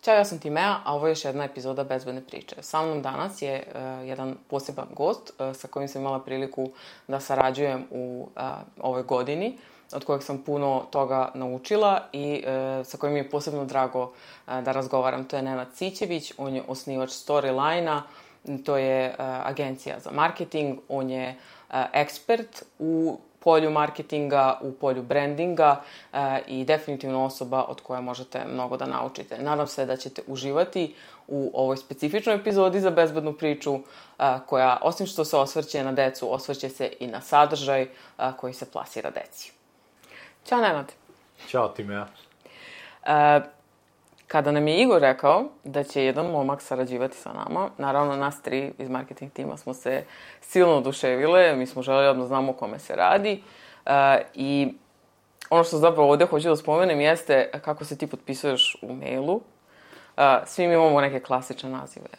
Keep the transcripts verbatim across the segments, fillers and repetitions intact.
Ćao, ja sam Timea, a ovo je još jedna epizoda Bezbedne priče. Sa mnom danas je uh, jedan poseban gost uh, sa kojim sam imala priliku da sarađujem u uh, ovoj godini, od kojeg sam puno toga naučila i uh, sa kojim mi je posebno drago uh, da razgovaram. To je Nenad Sićević, on je osnivač Storyline-a, to je uh, agencija za marketing, on je uh, ekspert u polju marketinga, u polju brandinga uh, i definitivno osoba od koje možete mnogo da naučite. Nadam se da ćete uživati u ovoj specifičnoj epizodi za bezbednu priču uh, koja, osim što se osvrće na decu, osvrće se i na sadržaj uh, koji se plasira deci. Ćao, Nenad. Ćao, Timea. Uh, Kada nam je Igor rekao da će jedan momak sarađivati sa nama, naravno nas tri iz marketing tima smo se silno oduševile, mi smo želeli odmah znamo o kome se radi uh, i ono što zapravo ovdje hoću da spomenem jeste kako se ti potpisuješ u mailu. Uh, svi mi imamo neke klasične nazive.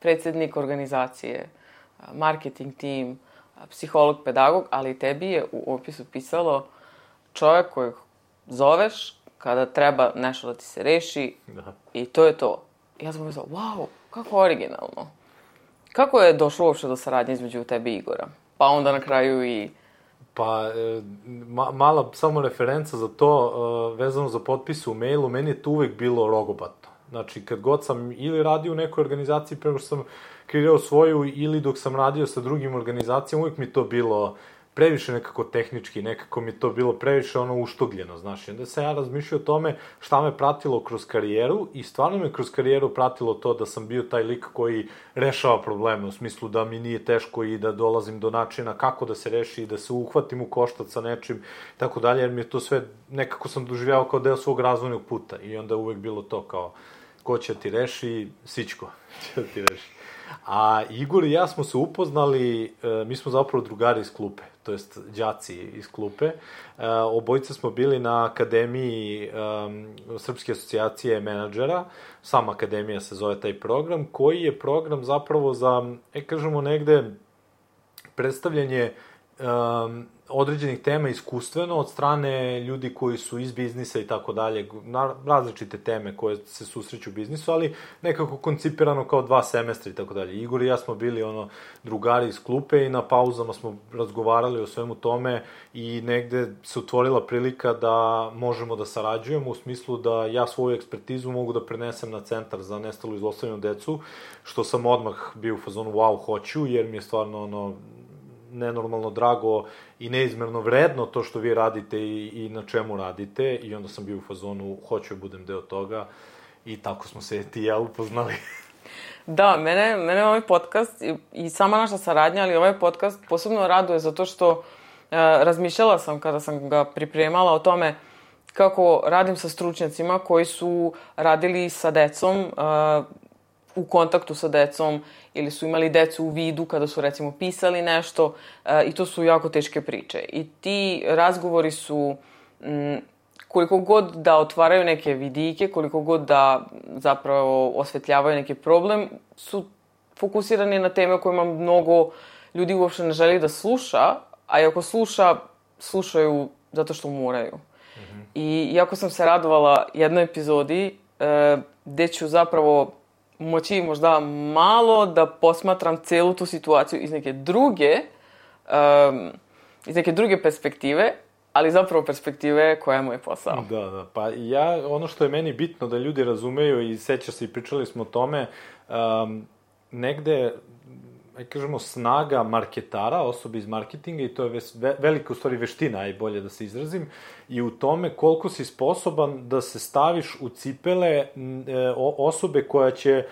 Predsjednik organizacije, uh, marketing tim, uh, psiholog, pedagog, ali tebi je u opisu pisalo čovjek kojeg zoveš kada treba nešto da ti se reši da. I to je to. Ja sam mislila, wow, kako originalno. Kako je došlo uopšte do saradnje između tebe i Igora? Pa onda na kraju i... Pa, e, ma, mala samo referenca za to, e, vezano za potpise u mailu, meni je to uvek bilo rogobatno. Znači, kad god sam ili radio u nekoj organizaciji, prema što sam kreirao svoju, ili dok sam radio sa drugim organizacijama, uvek mi to bilo previše nekako tehnički, nekako mi to bilo previše ono uštogljeno, znaš. I onda sam ja razmišljao o tome šta me pratilo kroz karijeru i stvarno me kroz karijeru pratilo to da sam bio taj lik koji rešava probleme, u smislu da mi nije teško i da dolazim do načina kako da se reši i da se uhvatim u koštac sa nečim, tako dalje, jer mi je to sve, nekako sam doživljavao kao deo svog razvojnog puta i onda uvek bilo to kao, ko će ti reši, Sićko će da ti reši. A Igor i ja smo se upoznali, mi smo zapravo drugari iz klupe, to jest đaci iz klupe. Obojice smo bili na akademiji um, Srpske asocijacije menadžera, sama akademija se zove taj program, koji je program zapravo za, e, kažemo negde, predstavljanje um, određenih tema iskustveno od strane ljudi koji su iz biznisa i tako dalje, različite teme koje se susreću u biznisu, ali nekako koncipirano kao dva semestra i tako dalje. Igor i ja smo bili ono drugari iz klupe i na pauzama smo razgovarali o svemu tome i negde se otvorila prilika da možemo da sarađujemo u smislu da ja svoju ekspertizu mogu da prenesem na Centar za nestalu i zlostavljanu decu, što sam odmah bio u fazonu wow, hoću, jer mi je stvarno ono nenormalno drago i neizmerno vredno to što vi radite i, i na čemu radite i onda sam bio u fazonu hoću da budem deo toga i tako smo se ti i ja upoznali. Da, mene, mene ovaj podcast i, i sama naša saradnja, ali ovaj podcast posebno raduje zato što uh, razmišljala sam kada sam ga pripremala o tome kako radim sa stručnjacima koji su radili sa decom, uh, u kontaktu sa decom ili su imali decu u vidu kada su recimo pisali nešto uh, i to su jako teške priče. I ti razgovori su m, koliko god da otvaraju neke vidike, koliko god da zapravo osvetljavaju neki problem, su fokusirani na teme o kojima mnogo ljudi uopšte ne želi da sluša, a i ako sluša, slušaju zato što moraju. Mm-hmm. I iako sam se radovala jednoj epizodi uh, gde ću zapravo moći možda malo da posmatram celu tu situaciju iz neke druge, um, iz neke druge perspektive, ali zapravo perspektive koja je moj posao. Da, da, pa ja, ono što je meni bitno da ljudi razumeju i seća se i pričali smo o tome, um, negde, aj kažemo, snaga marketara, osobe iz marketinga, i to je ve, velika u stvari veština, aj bolje da se izrazim, i u tome koliko si sposoban da se staviš u cipele e, osobe koja će,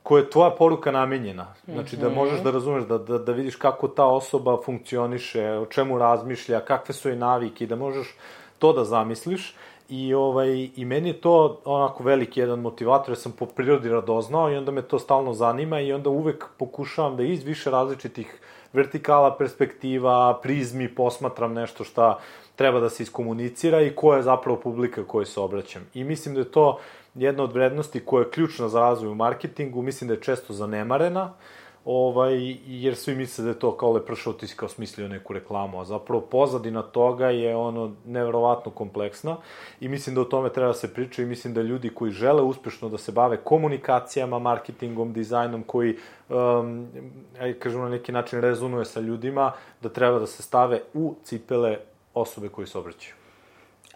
koja je tvoja poruka namenjena. Znači, da možeš da razumeš, da, da, da vidiš kako ta osoba funkcioniše, o čemu razmišlja, kakve su joj navike, da možeš to da zamisliš. I, ovaj, I meni je to onako veliki jedan motivator, jer sam po prirodi radoznao i onda me to stalno zanima i onda uvek pokušavam da iz više različitih vertikala, perspektiva, prizmi posmatram nešto šta treba da se iskomunicira i koja je zapravo publika kojoj se obraćam. I mislim da je to jedna od vrednosti koja je ključna za razvoj u marketingu, mislim da je često zanemarena, ovaj, jer svi misle da je to kao Lepršao, ti si kao smislio neku reklamu, a zapravo pozadina toga je ono nevjerovatno kompleksna i mislim da o tome treba da se priča i mislim da ljudi koji žele uspešno da se bave komunikacijama, marketingom, dizajnom, koji, um, aj kažemo na neki način rezonuje sa ljudima, da treba da se stave u cipele osobe koji se obraćaju.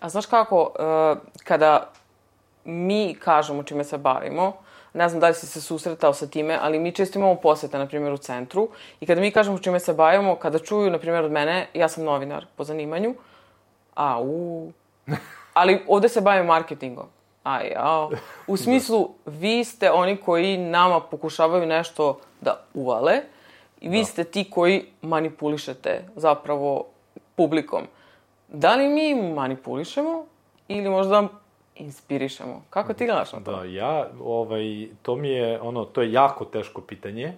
A znaš kako, uh, kada mi kažemo čime se bavimo, ne znam da li si se susretao sa time, ali mi često imamo posete, na primjer, u centru. I kada mi kažemo čime se bavimo, kada čuju, na primjer, od mene, ja sam novinar po zanimanju, a u... Ali ovde se bavim marketingom. A ja, u smislu, vi ste oni koji nama pokušavaju nešto da uvale i vi da. ste ti koji manipulišete zapravo publikom. Da li mi manipulišemo ili možda inspirišemo? Kako ti gledaš na to? Da, ja, ovaj, to mi je, ono, to je jako teško pitanje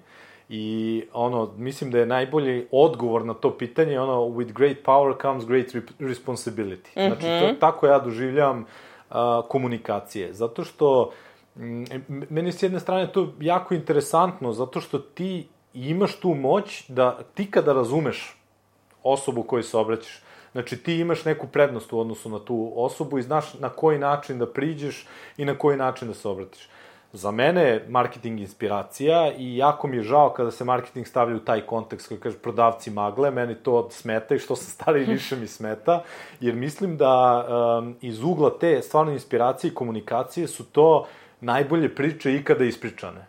i, ono, mislim da je najbolji odgovor na to pitanje, ono, with great power comes great responsibility. Mm-hmm. Znači, to, tako ja doživljam uh, komunikacije, zato što m, meni s jedne strane to jako interesantno, zato što ti imaš tu moć da ti kada razumeš osobu koju se obraćaš, znači, ti imaš neku prednost u odnosu na tu osobu i znaš na koji način da priđeš i na koji način da se obratiš. Za mene je marketing inspiracija i jako mi je žao kada se marketing stavlja u taj kontekst koji kaže prodavci magle, meni to smeta i što sam stariji više mi smeta, jer mislim da um, iz ugla te stvarno inspiracije i komunikacije su to najbolje priče ikada ispričane.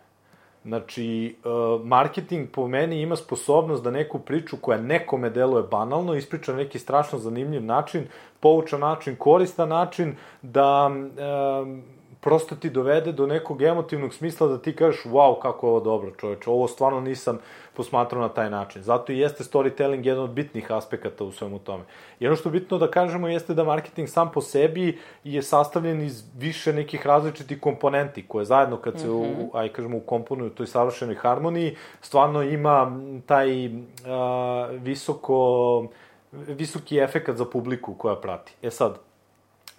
Znači, uh, marketing po meni ima sposobnost da neku priču koja nekome deluje banalno ispriča na neki strašno zanimljiv način, poučan način, koristan način, da um, prosto ti dovede do nekog emotivnog smisla da ti kažeš wow, kako je ovo dobro, čoveče, ovo stvarno nisam posmatrao na taj način. Zato i jeste storytelling jedan od bitnih aspekata u svemu tome. I ono što je bitno da kažemo jeste da marketing sam po sebi je sastavljen iz više nekih različitih komponenti, koje zajedno kad se, mm-hmm. u, aj kažemo, ukomponuju u toj savršenoj harmoniji, stvarno ima taj uh, visoko, visoki efekat za publiku koja prati. E sad,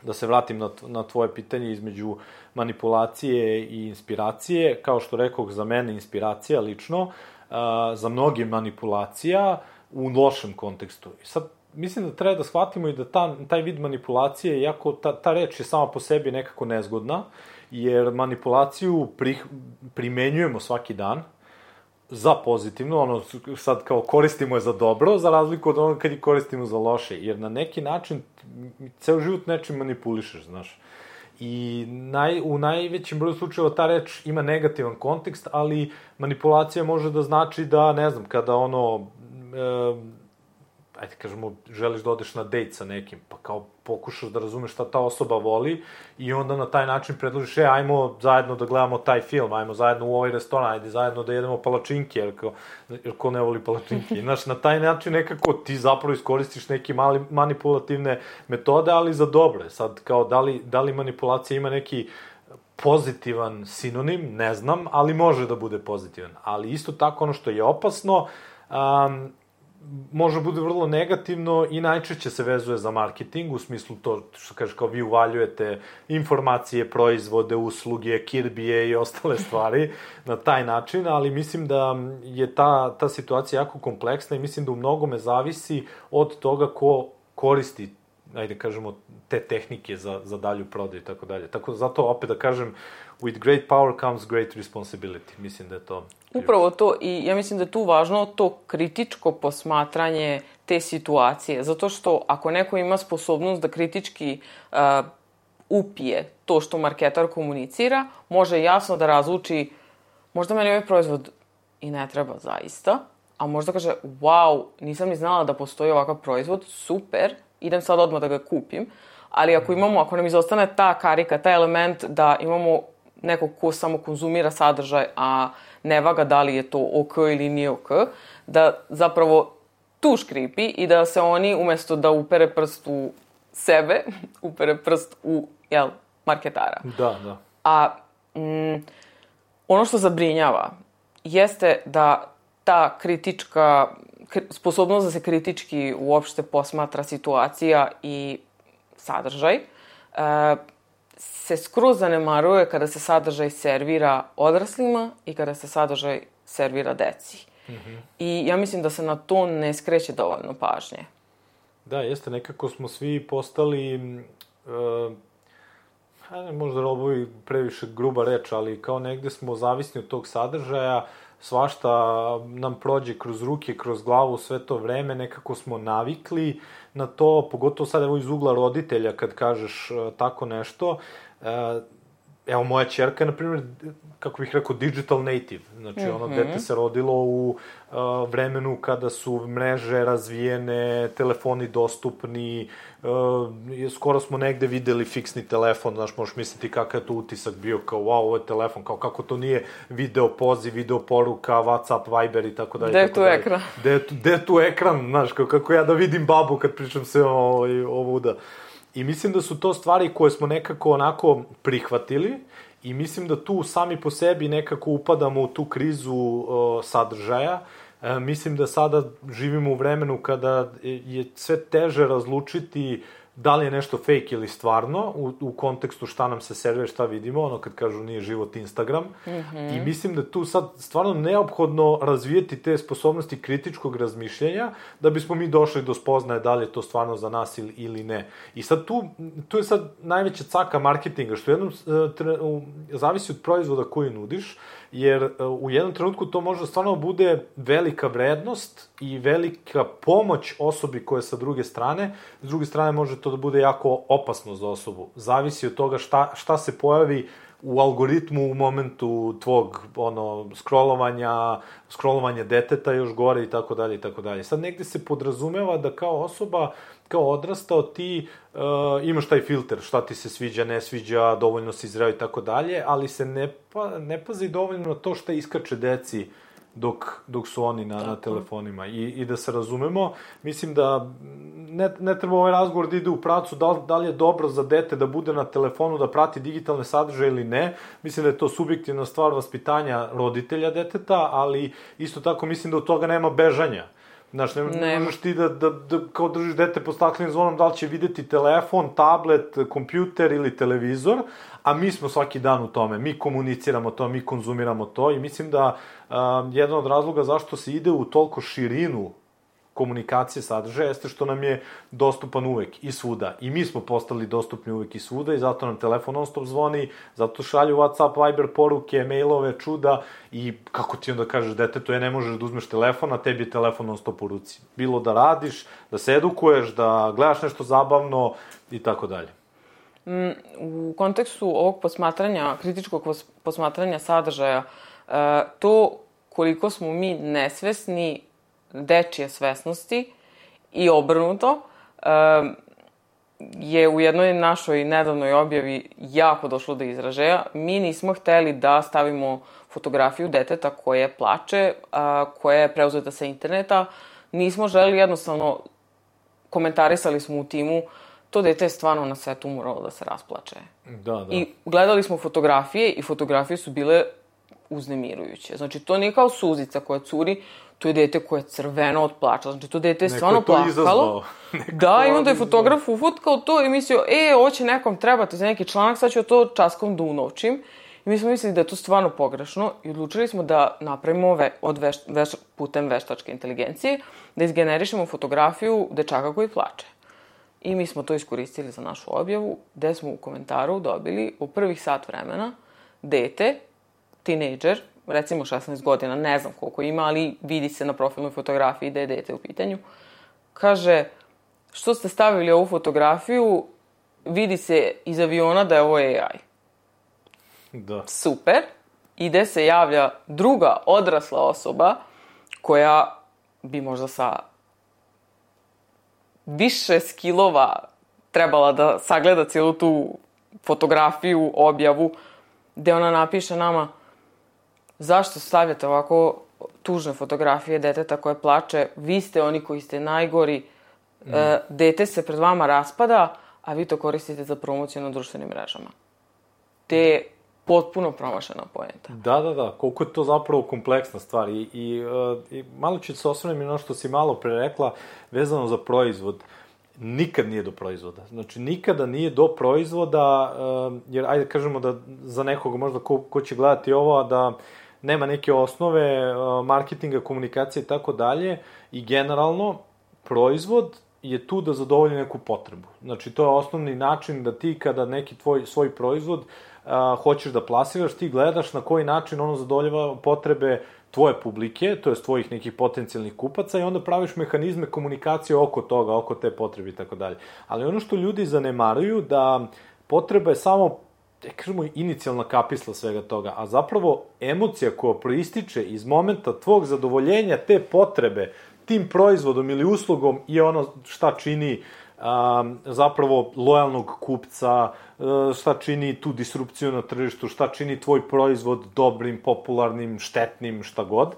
da se vratim na, na tvoje pitanje između manipulacije i inspiracije, kao što rekoh, za mene inspiracija lično, uh, za mnoge manipulacija u lošem kontekstu. I sad, mislim da treba da shvatimo i da ta, taj vid manipulacije, iako ta, ta reč je sama po sebi nekako nezgodna, jer manipulaciju pri, primenjujemo svaki dan, za pozitivno, ono, sad kao koristimo je za dobro, za razliku od onoga kad je koristimo za loše, jer na neki način ceo život nečim manipulišeš, znaš. I naj, u najvećem broju slučajeva ta reč ima negativan kontekst, ali manipulacija može da znači da, ne znam, kada ono, e, ajde kažemo, želiš da odeš na dejt sa nekim, pa kao pokušaš da razumeš šta ta osoba voli i onda na taj način predložiš, e, ajmo zajedno da gledamo taj film, ajmo zajedno u ovaj restoran, ajde zajedno da jedemo palačinke, jer ko, jer ko ne voli palačinke. I, znaš, na taj način nekako ti zapravo iskoristiš neke mali, manipulativne metode, ali za dobre. Sad, kao, da li, da li manipulacija ima neki pozitivan sinonim, ne znam, ali može da bude pozitivan. Ali isto tako ono što je opasno, um, može bude vrlo negativno i najčešće se vezuje za marketing, u smislu to što kažeš kao vi uvaljujete informacije, proizvode, usluge, kirbije i ostale stvari na taj način, ali mislim da je ta, ta situacija jako kompleksna i mislim da u mnogome zavisi od toga ko koristi, ajde kažemo, te tehnike za, za dalju prodaju i tako dalje. Tako da zato opet da kažem, with great power comes great responsibility. Mislim da je to... Upravo to, i ja mislim da je tu važno to kritičko posmatranje te situacije, zato što ako neko ima sposobnost da kritički uh, upije to što marketar komunicira, može jasno da razluči, možda meni ovaj proizvod i ne treba zaista, a možda kaže, wow, nisam ni znala da postoji ovakav proizvod, super, idem sad odmah da ga kupim, ali ako imamo, ako nam izostane ta karika, taj element da imamo nekog ko samo konzumira sadržaj, a ne vaga da li je to ok ili nije ok, da zapravo tu škripi i da se oni, umesto da upere prst u sebe, upere prst u, jel, marketara. Da, da. A mm, ono što zabrinjava jeste da ta kritička, sposobnost da se kritički uopšte posmatra situacija i sadržaj, e, se skroz zanemaruje kada se sadržaj servira odraslima i kada se sadržaj servira deci. Mm-hmm. I ja mislim da se na to ne skreće dovoljno pažnje. Da, jeste, nekako smo svi postali, uh, ne, možda ovo je previše gruba reč, ali kao negde smo zavisni od tog sadržaja, svašta nam prođe kroz ruke, kroz glavu sve to vreme, nekako smo navikli na to, pogotovo sad evo iz ugla roditelja kad kažeš uh, tako nešto. Uh, evo moja ćerka je, na primjer, kako bih rekao, digital native. Znači, mm-hmm. ono dete se rodilo u uh, vremenu kada su mreže razvijene, telefoni dostupni, uh, skoro smo negde videli fiksni telefon, znaš, možeš misliti kakav je to utisak bio, kao, wow, ovo je telefon, kao kako to nije video poziv, video poruka, WhatsApp, Viber i tako dalje. Gde je tu ekran? Gde je tu ekran, znaš, kao, kako ja da vidim babu kad pričam se o, ovuda. I mislim da su to stvari koje smo nekako onako prihvatili i mislim da tu sami po sebi nekako upadamo u tu krizu uh, sadržaja. E, mislim da sada živimo u vremenu kada je sve teže razlučiti da li je nešto fake ili stvarno, u, u kontekstu šta nam se servira, šta vidimo, ono kad kažu nije život Instagram. Mm-hmm. I mislim da tu sad stvarno neophodno razvijeti te sposobnosti kritičkog razmišljenja da bismo mi došli do spoznaje da li je to stvarno za nas ili, ili ne. I sad tu, tu je sad najveća caka marketinga, što jednom tre, u, zavisi od proizvoda koji nudiš, jer u jednom trenutku to može stvarno bude velika vrednost i velika pomoć osobi koja je sa druge strane. S druge strane može to da bude jako opasno za osobu. Zavisi od toga šta, šta se pojavi u algoritmu u momentu tvog ono scrollovanja, scrollovanja deteta još gore i tako dalje i tako dalje. Sad negde se podrazumeva da kao osoba, kao odrastao ti uh, imaš taj filter, šta ti se sviđa, ne sviđa, dovoljno si zreo i tako dalje, ali se ne, pa, ne pazi dovoljno na to šta iskače deci dok, dok su oni na, na telefonima. I, I da se razumemo, mislim da ne, ne treba ovaj razgovor da ide u pravcu da li, da li je dobro za dete da bude na telefonu, da prati digitalne sadržaje ili ne. Mislim da je to subjektivna stvar vaspitanja roditelja deteta, ali isto tako mislim da od toga nema bežanja. Znaš, ne, ne možeš ti da, da, da kao držiš dete pod staklenim zvonom da li će videti telefon, tablet, kompjuter ili televizor, a mi smo svaki dan u tome, mi komuniciramo to, mi konzumiramo to i mislim da um, jedan od razloga zašto se ide u toliko širinu komunikacije sadržaja jeste što nam je dostupan uvek i svuda. I mi smo postali dostupni uvek i svuda i zato nam telefon non stop zvoni, zato šalju WhatsApp, Viber poruke, mailove, čuda i kako ti onda kažeš detetu, je ne možeš da uzmeš telefon, a tebi je telefon non stop u ruci. Bilo da radiš, da se edukuješ, da gledaš nešto zabavno i tako dalje. U kontekstu ovog posmatranja, kritičkog posmatranja sadržaja, to koliko smo mi nesvesni dečije svesnosti i obrnuto je u jednoj našoj nedavnoj objavi jako došlo do izražaja. Mi nismo hteli da stavimo fotografiju deteta koje plače, koja je preuzeta sa interneta. Nismo želeli, jednostavno komentarisali smo u timu, to dete je stvarno na svetu moralo da se rasplače. Da, da. I gledali smo fotografije i fotografije su bile uznemirujuće. Znači, to nije kao suzica koja curi, to je dete koje je crveno od plača. Znači, to dete je stvarno plakalo. Da, i onda je fotograf ufotkao to i mislio, e, ovo će nekom trebati za neki članak, sad ću to časkom da unovčim. I mi smo mislili da je to stvarno pogrešno i odlučili smo da napravimo ve, od veš, veš, putem veštačke inteligencije, da izgenerišemo fotografiju dečaka koji plače. I mi smo to iskoristili za našu objavu, gde smo u komentaru dobili u prvih sat vremena dete, tinejdžer, recimo šesnaest godina, ne znam koliko ima, ali vidi se na profilnoj fotografiji da je dete u pitanju, kaže, što ste stavili ovu fotografiju, vidi se iz aviona da je ovo A I. Da. Super. Ide se javlja druga odrasla osoba koja bi možda sa više skillova trebala da sagleda cijelu tu fotografiju, objavu, gde ona napiše nama zašto stavljate ovako tužne fotografije deteta koje plače, vi ste oni koji ste najgori, mm. e, dete se pred vama raspada, a vi to koristite za promociju na društvenim mrežama. Te potpuno promašena poenta. Da, da, da. Koliko je to zapravo kompleksna stvar. I, i, uh, i malo ću se osvrnem i ono što si malo pre rekla, vezano za proizvod. Nikad nije do proizvoda. Znači, nikada nije do proizvoda, uh, jer, ajde kažemo da za nekoga možda ko, ko će gledati ovo, da nema neke osnove uh, marketinga, komunikacije i tako dalje, i generalno proizvod je tu da zadovolji neku potrebu. Znači, to je osnovni način da ti kada neki tvoj, svoj proizvod uh, hoćeš da plasiraš, ti gledaš na koji način ono zadovoljava potrebe tvoje publike, to je tvojih nekih potencijalnih kupaca, i onda praviš mehanizme komunikacije oko toga, oko te potrebe i tako dalje. Ali ono što ljudi zanemaruju, da potreba je samo, ja kažemo, inicijalna kapisla svega toga, a zapravo emocija koja proističe iz momenta tvog zadovoljenja te potrebe tim proizvodom ili uslugom je ono šta čini um, zapravo lojalnog kupca, uh, šta čini tu disrupciju na tržištu, šta čini tvoj proizvod dobrim, popularnim, štetnim, šta god.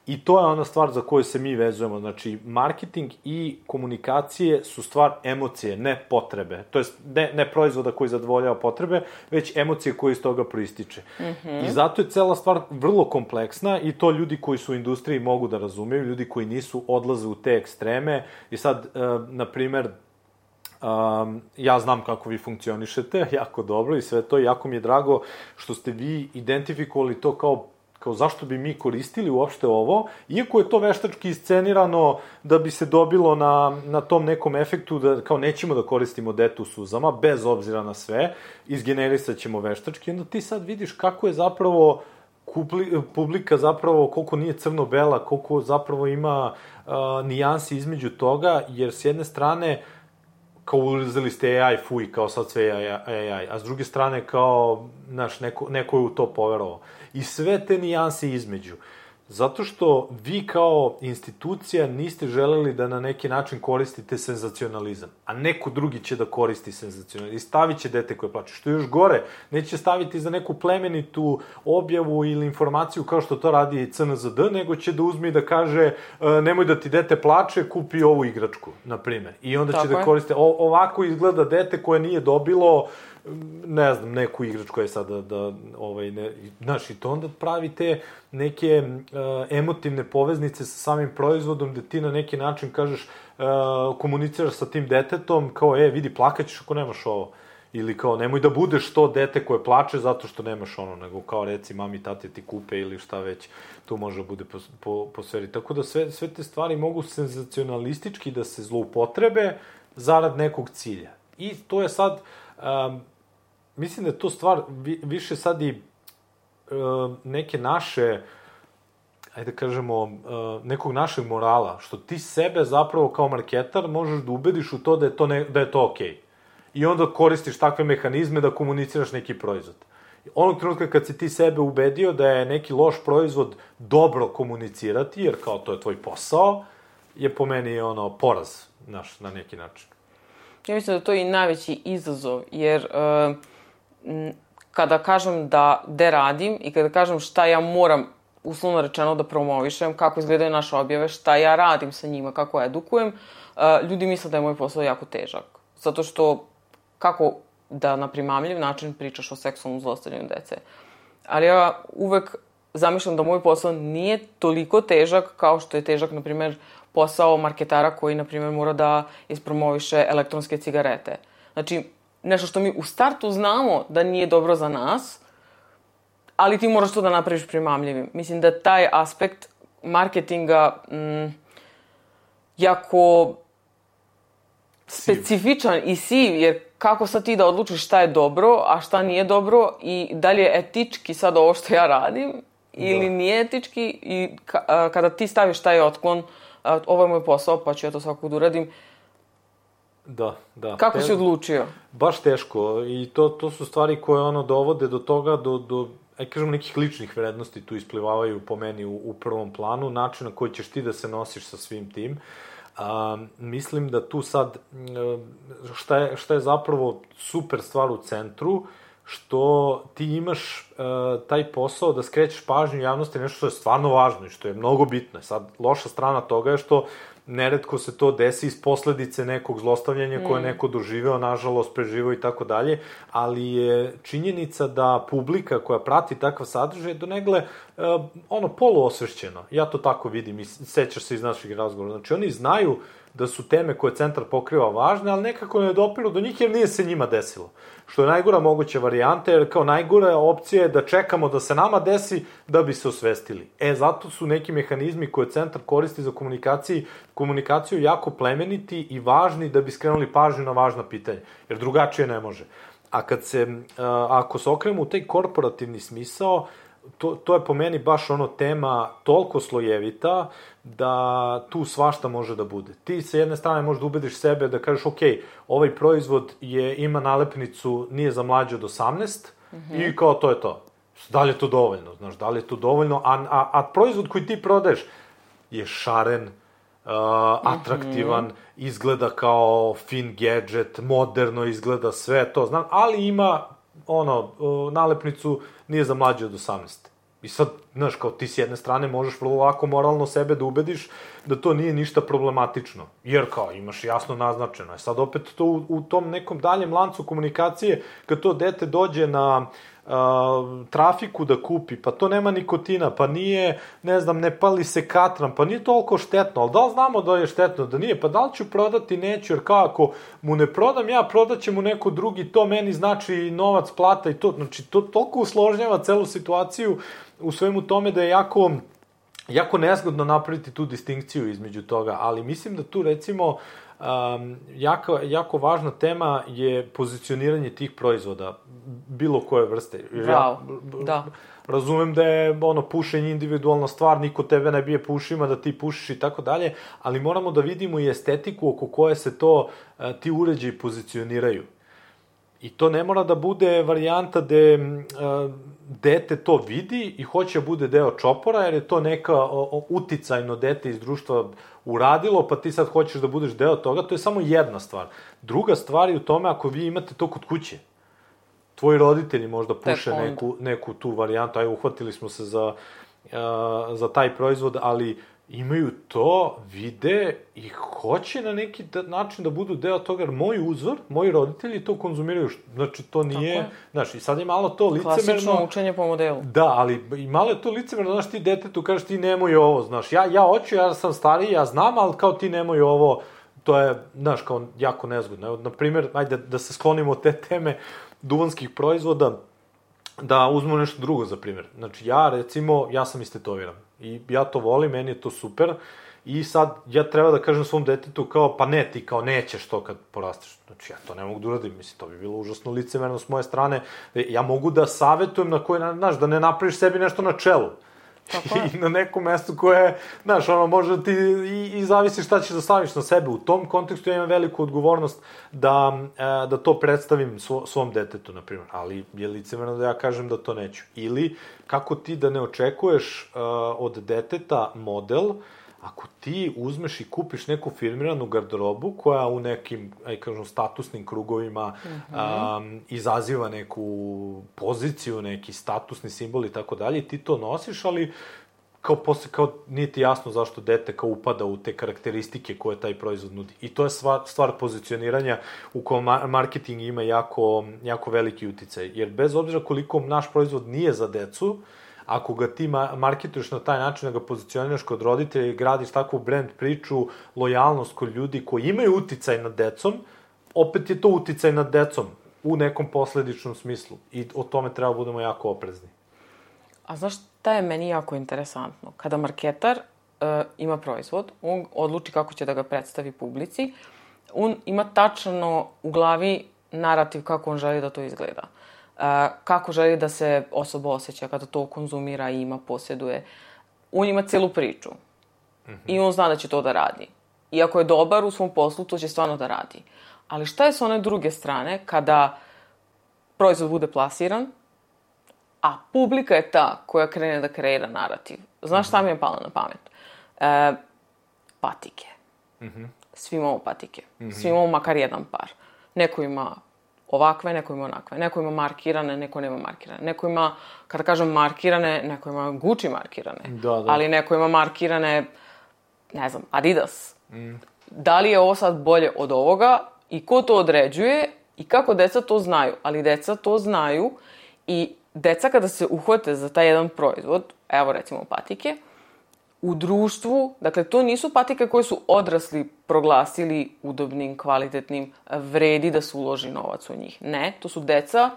I to je ona stvar za koju se mi vezujemo. Znači, marketing i komunikacije su stvar emocije, ne potrebe. To jest, ne, ne proizvoda koji zadovoljava potrebe, već emocije koje iz toga proističe. Mm-hmm. I zato je cela stvar vrlo kompleksna, i to ljudi koji su u industriji mogu da razumeju, ljudi koji nisu odlaze u te ekstreme. I sad, e, na primer, Um, ja znam kako vi funkcionišete, jako dobro i sve to, i jako mi je drago što ste vi identifikovali to kao kao zašto bi mi koristili uopšte ovo, iako je to veštački iscenirano da bi se dobilo na, na tom nekom efektu da kao nećemo da koristimo dete u suzama, bez obzira na sve, izgenerisat ćemo veštački, onda ti sad vidiš kako je zapravo kupli, publika zapravo, koliko nije crno-bela, koliko zapravo ima uh, nijansi između toga, jer s jedne strane kao uzeli ste A I, fuj, kao sad sve A I, a s druge strane kao, znaš, neko, neko je u to poverovao. I sve te nijanse između. Zato što vi kao institucija niste želeli da na neki način koristite senzacionalizam, a neko drugi će da koristi senzacionalizam i stavit će dete koje plače. Što je još gore, neće staviti za neku plemenitu objavu ili informaciju kao što to radi C N Z D, nego će da uzme i da kaže nemoj da ti dete plače, kupi ovu igračku, na primer. I onda Tako će je. da koriste, o, ovako izgleda dete koje nije dobilo, ne znam, neku igračku je sada da, ovaj, ne, znaš, i to onda pravi te neke uh, emotivne poveznice sa samim proizvodom, da ti na neki način kažeš, uh, komuniciraš sa tim detetom, kao, e, vidi, plakaćeš ako nemaš ovo. Ili kao, nemoj da budeš to dete koje plače zato što nemaš ono, nego kao, reci, mami, tate ti kupe ili šta već, tu može da bude po, po, po sferi. Tako da sve, sve te stvari mogu senzacionalistički da se zloupotrebe zarad nekog cilja. I to je sad, um, mislim da je to stvar vi, više sad i uh, neke naše, ajde da kažemo, uh, nekog našeg morala, što ti sebe zapravo kao marketar možeš da ubediš u to da je to, ne, da je to okej. Okay. I onda koristiš takve mehanizme da komuniciraš neki proizvod. Onog trenutka kad si ti sebe ubedio da je neki loš proizvod dobro komunicirati, jer kao to je tvoj posao, je po meni ono poraz, znaš, na neki način. Ja mislim da to je i najveći izazov, jer uh, kada kažem da de radim i kada kažem šta ja moram, uslovno rečeno, da promovišem, kako izgledaju naše objave, šta ja radim sa njima, kako edukujem, uh, ljudi misle da je moj posao jako težak. Zato što kako da na primamljiv način pričaš o seksualnom zlostavljanju dece. Ali ja uvek zamišljam da moj posao nije toliko težak kao što je težak, na primjer, posao marketara koji, na primjer, mora da ispromoviše elektronske cigarete. Znači, nešto što mi u startu znamo da nije dobro za nas, ali ti moraš to da napraviš primamljivim. Mislim da taj aspekt marketinga m, jako specifičan i siv, jer kako sad ti da odlučiš šta je dobro, a šta nije dobro i da li je etički sad ovo što ja radim ili da. Nije etički, i ka, kada ti staviš taj otklon, ovo je moj posao, pa ću ja to svakako da uradim. Da, da. Kako Te... si odlučio? Baš teško, i to, to su stvari koje ono dovode do toga, do, do aj kažemo, nekih ličnih vrednosti tu isplivavaju po meni u, u prvom planu, način na koji ćeš ti da se nosiš sa svim tim. A, mislim da tu sad, šta je, šta je zapravo super stvar u centru, što ti imaš uh, taj posao da skrećeš pažnju javnosti, nešto što je stvarno važno i što je mnogo bitno. Sad, loša strana toga je što neretko se to desi iz posledice nekog zlostavljanja mm. koje je neko doživeo, nažalost, preživeo i tako dalje, ali je činjenica da publika koja prati takav sadržaj donegle uh, uh, ono, poluosvešćena. Ja to tako vidim i sećaš se iz naših razgovora. Znači, oni znaju da su teme koje centar pokriva važne, ali nekako ne dopiru do njih jer nije se njima desilo. Što je najgora moguća varijanta, jer kao najgora opcija je da čekamo da se nama desi da bi se osvestili. E, zato su neki mehanizmi koje centar koristi za komunikaciju, komunikaciju jako plemeniti i važni da bi skrenuli pažnju na važna pitanja, jer drugačije ne može. A kad se, ako se okrenemo u taj korporativni smisao, To, to je po meni baš ono tema toliko slojevita da tu svašta može da bude. Ti sa jedne strane možda ubediš sebe da kažeš ok, ovaj proizvod je, ima nalepnicu nije za mlađe od osamnaest mm-hmm. i kao to je to. Da li je to dovoljno? Znaš, da li je to dovoljno? A, a, a proizvod koji ti prodaješ je šaren, uh, atraktivan, mm-hmm. izgleda kao fin gadget, moderno izgleda sve to, znam, ali ima ono, nalepnicu nije za mlađe od osamnaest. I sad, znaš, kao ti s jedne strane možeš vrlo lako moralno sebe da ubediš da to nije ništa problematično. Jer kao, imaš jasno naznačeno. Sad opet to u, u tom nekom daljem lancu komunikacije, kad to dete dođe na Uh, trafiku da kupi, pa to nema nikotina, pa nije, ne znam, ne pali se katran, pa nije toliko štetno, ali da li znamo da je štetno, da nije, pa da li ću prodati, neću, jer kao ako mu ne prodam ja, prodaće mu neko drugi, to meni znači novac, plata i to, znači to toliko usložnjava celu situaciju u svemu tome da je jako, jako nezgodno napraviti tu distinkciju između toga, ali mislim da tu recimo Um, jako, jako važna tema je pozicioniranje tih proizvoda, bilo koje vrste. Wow, ja, da. Razumem da je ono, pušenje individualna stvar, niko tebe ne bije pušima, da ti pušiš i tako dalje, ali moramo da vidimo i estetiku oko koje se to, uh, ti uređaji pozicioniraju. I to ne mora da bude varijanta gde uh, dete to vidi i hoće da bude deo čopora, jer je to neka o, o, uticajno dete iz društva uradilo, pa ti sad hoćeš da budeš deo toga, to je samo jedna stvar. Druga stvar je u tome ako vi imate to kod kuće. Tvoji roditelji možda puše neku, neku tu varijantu, aj uhvatili smo se za, uh, za taj proizvod, ali imaju to, vide i hoće na neki način da budu deo toga, jer moj uzor, moji roditelji to konzumiraju, znači to nije, znaš, i sad je malo to licemerno. Klasično učenje po modelu. Da, ali i malo je to licemerno, znaš, ti detetu kažeš ti nemoj ovo, znaš, ja, ja hoću, ja sam stariji, ja znam, ali kao ti nemoj ovo, to je, znaš, kao jako nezgodno. Evo, na primjer, ajde da se sklonimo od te teme duvanskih proizvoda, da uzmemo nešto drugo za primjer. Znači, ja, recimo, ja sam istetoviran. I ja to volim, meni je to super. I sad, ja treba da kažem svom detetu kao, pa ne, ti kao nećeš to kad porasteš. Znači, ja to ne mogu da uradim. Mislim, to bi bilo užasno licemerno s moje strane. Ja mogu da savetujem na koji, znaš, da ne napraviš sebi nešto na čelu. I na nekom mestu koje, znaš, ono, može ti i, i zavisi šta ćeš da staviš na sebe. U tom kontekstu ja imam veliku odgovornost da, e, da to predstavim svo, svom detetu, na primjer. Ali je licemerno da ja kažem da to neću. Ili, kako ti da ne očekuješ e, od deteta model, ako ti uzmeš i kupiš neku firmiranu garderobu koja u nekim, aj kažem, statusnim krugovima mm-hmm. um, izaziva neku poziciju, neki statusni simbol i tako dalje, ti to nosiš, ali kao posle, kao nije ti jasno zašto dete kao upada u te karakteristike koje taj proizvod nudi. I to je stvar, stvar pozicioniranja u kojem marketing ima jako, jako veliki uticaj. Jer bez obzira koliko naš proizvod nije za decu, ako ga ti marketuješ na taj način, da ga pozicioniraš kod roditelja i gradiš takvu brand priču, lojalnost kod ljudi koji imaju uticaj nad decom, opet je to uticaj nad decom u nekom posledičnom smislu. I o tome treba budemo jako oprezni. A znaš šta je meni jako interesantno? Kada marketar uh, ima proizvod, on odluči kako će da ga predstavi publici, on ima tačno u glavi narativ kako on želi da to izgleda. Uh, kako želi da se osoba osjeća kada to konzumira, ima, posjeduje. On ima celu priču. Mm-hmm. I on zna da će to da radi. I ako je dobar u svom poslu, to će stvarno da radi. Ali šta je s one druge strane kada proizvod bude plasiran, a publika je ta koja krene da kreira narativ? Znaš šta mi je palo na pamet? Uh, patike. Mm-hmm. Svi imamo patike. Mm-hmm. Svi imamo makar jedan par. Neko ima ovakve, neko ima onakve. Neko ima markirane, neko nema markirane. Neko ima, kada kažem markirane, neko ima Gucci markirane. Da, da. Ali neko ima markirane, ne znam, Adidas. Mm. Da li je ovo sad bolje od ovoga i ko to određuje i kako deca to znaju? Ali deca to znaju i deca kada se uhvate za taj jedan proizvod, evo recimo patike, u društvu, dakle, to nisu patike koje su odrasli proglasili udobnim, kvalitetnim, vredi da se uloži novac u njih. Ne, to su deca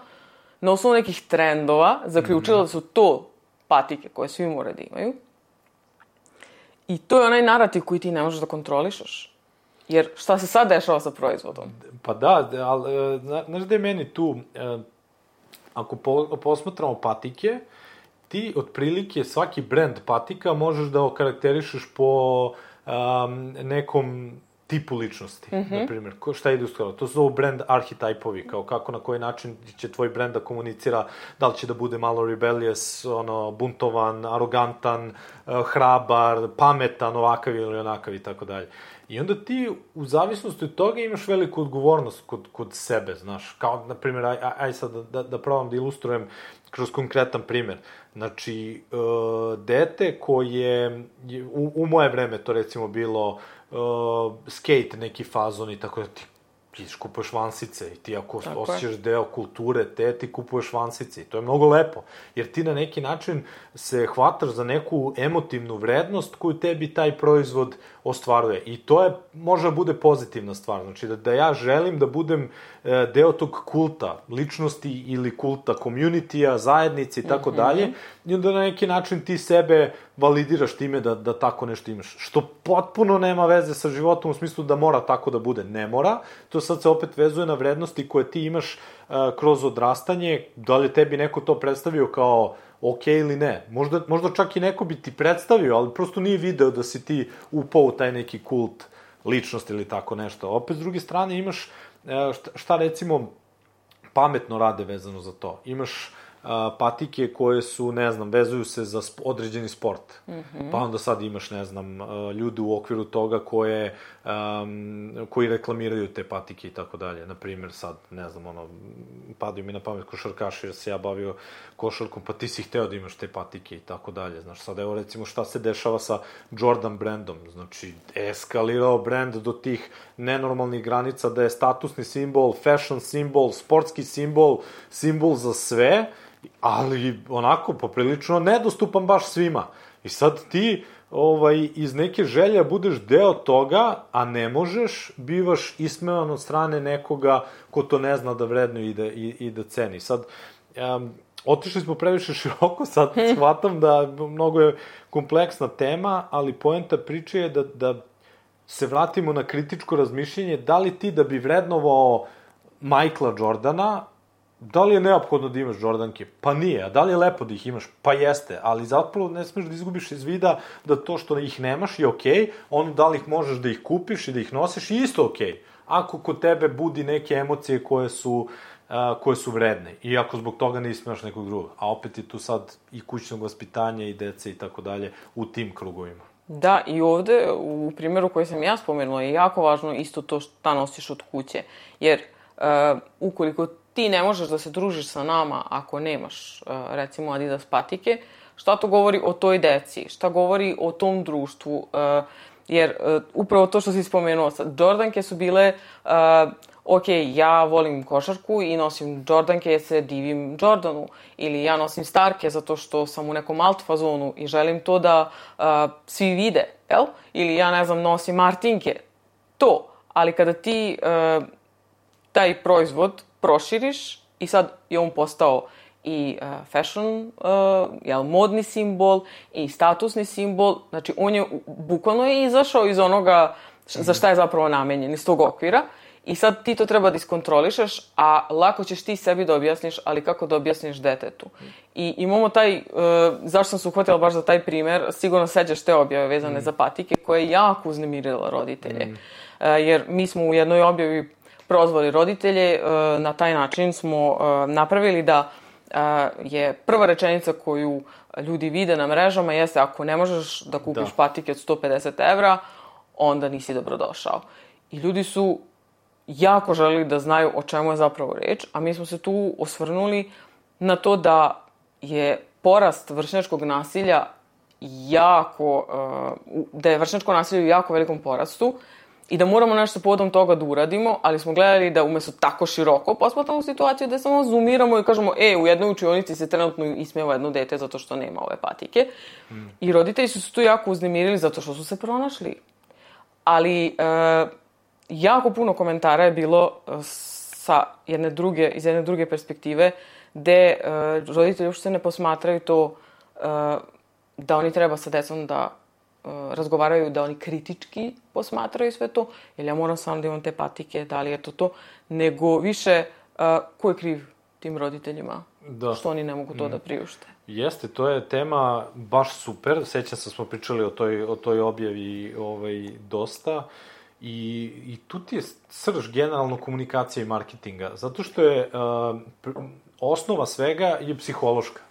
na osnovu nekih trendova zaključila da su to patike koje svi moraju da imaju. I to je onaj narativ koji ti ne možeš da kontrolišeš. Jer šta se sad dešava sa proizvodom? Pa da, ali, znaš da je meni tu, ako posmatramo patike, ti otprilike svaki brend patika možeš da okarakterišeš po um, nekom tipu ličnosti, mm-hmm. na primjer. Šta ide u skoro? To su brand arhetipove, kao kako, na koji način će tvoj brend da komunicira, da li će da bude malo rebellious, ono, buntovan, arogantan, hrabar, pametan, ovakav ili onakav i tako dalje. I onda ti, u zavisnosti od toga, imaš veliku odgovornost kod, kod sebe, znaš. Kao, na primjer, aj, aj sad da, da probam da ilustrujem kroz konkretan primjer. Znači, uh, dete koje, u, u moje vreme to recimo bilo uh, skate neki fazon i tako da ti ti kupuješ vansice i ti ako tako osjećaš je. Deo kulture te, ti kupuješ vansice i to je mnogo lepo, jer ti na neki način se hvataš za neku emotivnu vrednost koju tebi taj proizvod ostvaruje i to je, može bude pozitivna stvar, znači da, da ja želim da budem e, deo tog kulta, ličnosti ili kulta community-a, zajednice i tako dalje, i onda na neki način ti sebe validiraš time da, da tako nešto imaš, što potpuno nema veze sa životom u smislu da mora tako da bude, ne mora, to sad se opet vezuje na vrednosti koje ti imaš uh, kroz odrastanje, da li tebi neko to predstavio kao ok ili ne. Možda, možda čak i neko bi ti predstavio, ali prosto nije video da si ti upao u taj neki kult ličnosti ili tako nešto. Opet, s druge strane, imaš uh, šta, šta recimo pametno rade vezano za to. Imaš uh, patike koje su, ne znam, vezuju se za sp- određeni sport. Mm-hmm. Pa onda sad imaš, ne znam, uh, ljude u okviru toga koje, um, koji reklamiraju te patike i tako dalje. Naprimjer, sad, ne znam, ono, padaju mi na pamet košarkaši, jer se ja bavio košarkom, pa ti si hteo da imaš te patike i tako dalje. Znaš, sad evo recimo šta se dešava sa Jordan brandom. Znači, eskalirao brand do tih nenormalnih granica da je statusni simbol, fashion simbol, sportski simbol, simbol za sve, ali onako poprilično nedostupan baš svima. I sad ti ovaj, iz neke želje budeš deo toga, a ne možeš, bivaš ismevan od strane nekoga ko to ne zna da vrednuje i da, i, i da ceni. Sad, um, otišli smo previše široko, sad shvatam da mnogo je kompleksna tema, ali poenta priče je da, da se vratimo na kritičko razmišljenje, da li ti da bi vrednovao Michaela Jordana, da li je neophodno da imaš Jordanke? Pa nije. A da li je lepo da ih imaš? Pa jeste. Ali zapravo ne smeš da izgubiš iz vida da to što ih nemaš je okej, okay, ono da li ih možeš da ih kupiš i da ih nosiš je isto okej. Okay. Ako kod tebe budi neke emocije koje su, uh, koje su vredne. I ako zbog toga ne ismeš nekog drugog. A opet je tu sad i kućnog vaspitanja i dece i tako dalje u tim krugovima. Da, i ovde, u primjeru koji sam ja spomenula, je jako važno isto to šta nosiš od kuće. Jer uh, ukoliko ti ne možeš da se družiš sa nama ako nemaš, recimo, Adidas patike, šta to govori o toj deci, šta govori o tom društvu, jer upravo to što si spomenuo, Jordanke su bile, ok, ja volim košarku i nosim Jordanke jer se divim Jordanu, ili ja nosim Starke zato što sam u nekom alt fazonu i želim to da svi vide, jel? Ili ja, ne znam, nosim Martinke, to, ali kada ti taj proizvod proširiš i sad je on postao i uh, fashion, uh, jel, modni simbol i statusni simbol, znači on je, bukvalno je izašao iz onoga š, za šta je zapravo namenjen, iz tog okvira i sad ti to treba da iskontrolišeš, a lako ćeš ti sebi da objasniš, ali kako da objasniš detetu. I imamo taj, uh, zašto sam se uhvatila baš za taj primer, sigurno seđaš te objave vezane mm. za patike, koje je jako uznemirila roditelje. Mm. Uh, jer mi smo u jednoj objavi prozvali roditelje, na taj način smo napravili da je prva rečenica koju ljudi vide na mrežama jeste ako ne možeš da kupiš da. patike od sto pedeset evra, onda nisi dobrodošao. I ljudi su jako želeli da znaju o čemu je zapravo reč, a mi smo se tu osvrnuli na to da je porast vršnjačkog nasilja jako, da je vršnjačko nasilje u jako velikom porastu i da moramo nešto povodom toga da uradimo, ali smo gledali da umesto tako široko posmatramo situaciju da samo zoomiramo i kažemo, e, u jednoj učionici se trenutno ismeva jedno dete zato što nema ove patike. Mm. I roditelji su se tu jako uznemirili zato što su se pronašli. Ali e, jako puno komentara je bilo sa jedne druge, iz jedne druge perspektive, gde e, roditelji uopšte ne posmatraju to e, da oni treba sa decom da e, razgovaraju, da oni kritički posmatraju sve to, jer ja moram sam da imam te patike, da li je to to, nego više e, ko je kriv tim roditeljima, da. Što oni ne mogu to mm. da priušte. Jeste, to je tema baš super, sećam se smo pričali o toj, o toj objavi ovaj, dosta, I, i tu ti je srž generalno komunikacije i marketinga, zato što je uh, osnova svega je psihološka.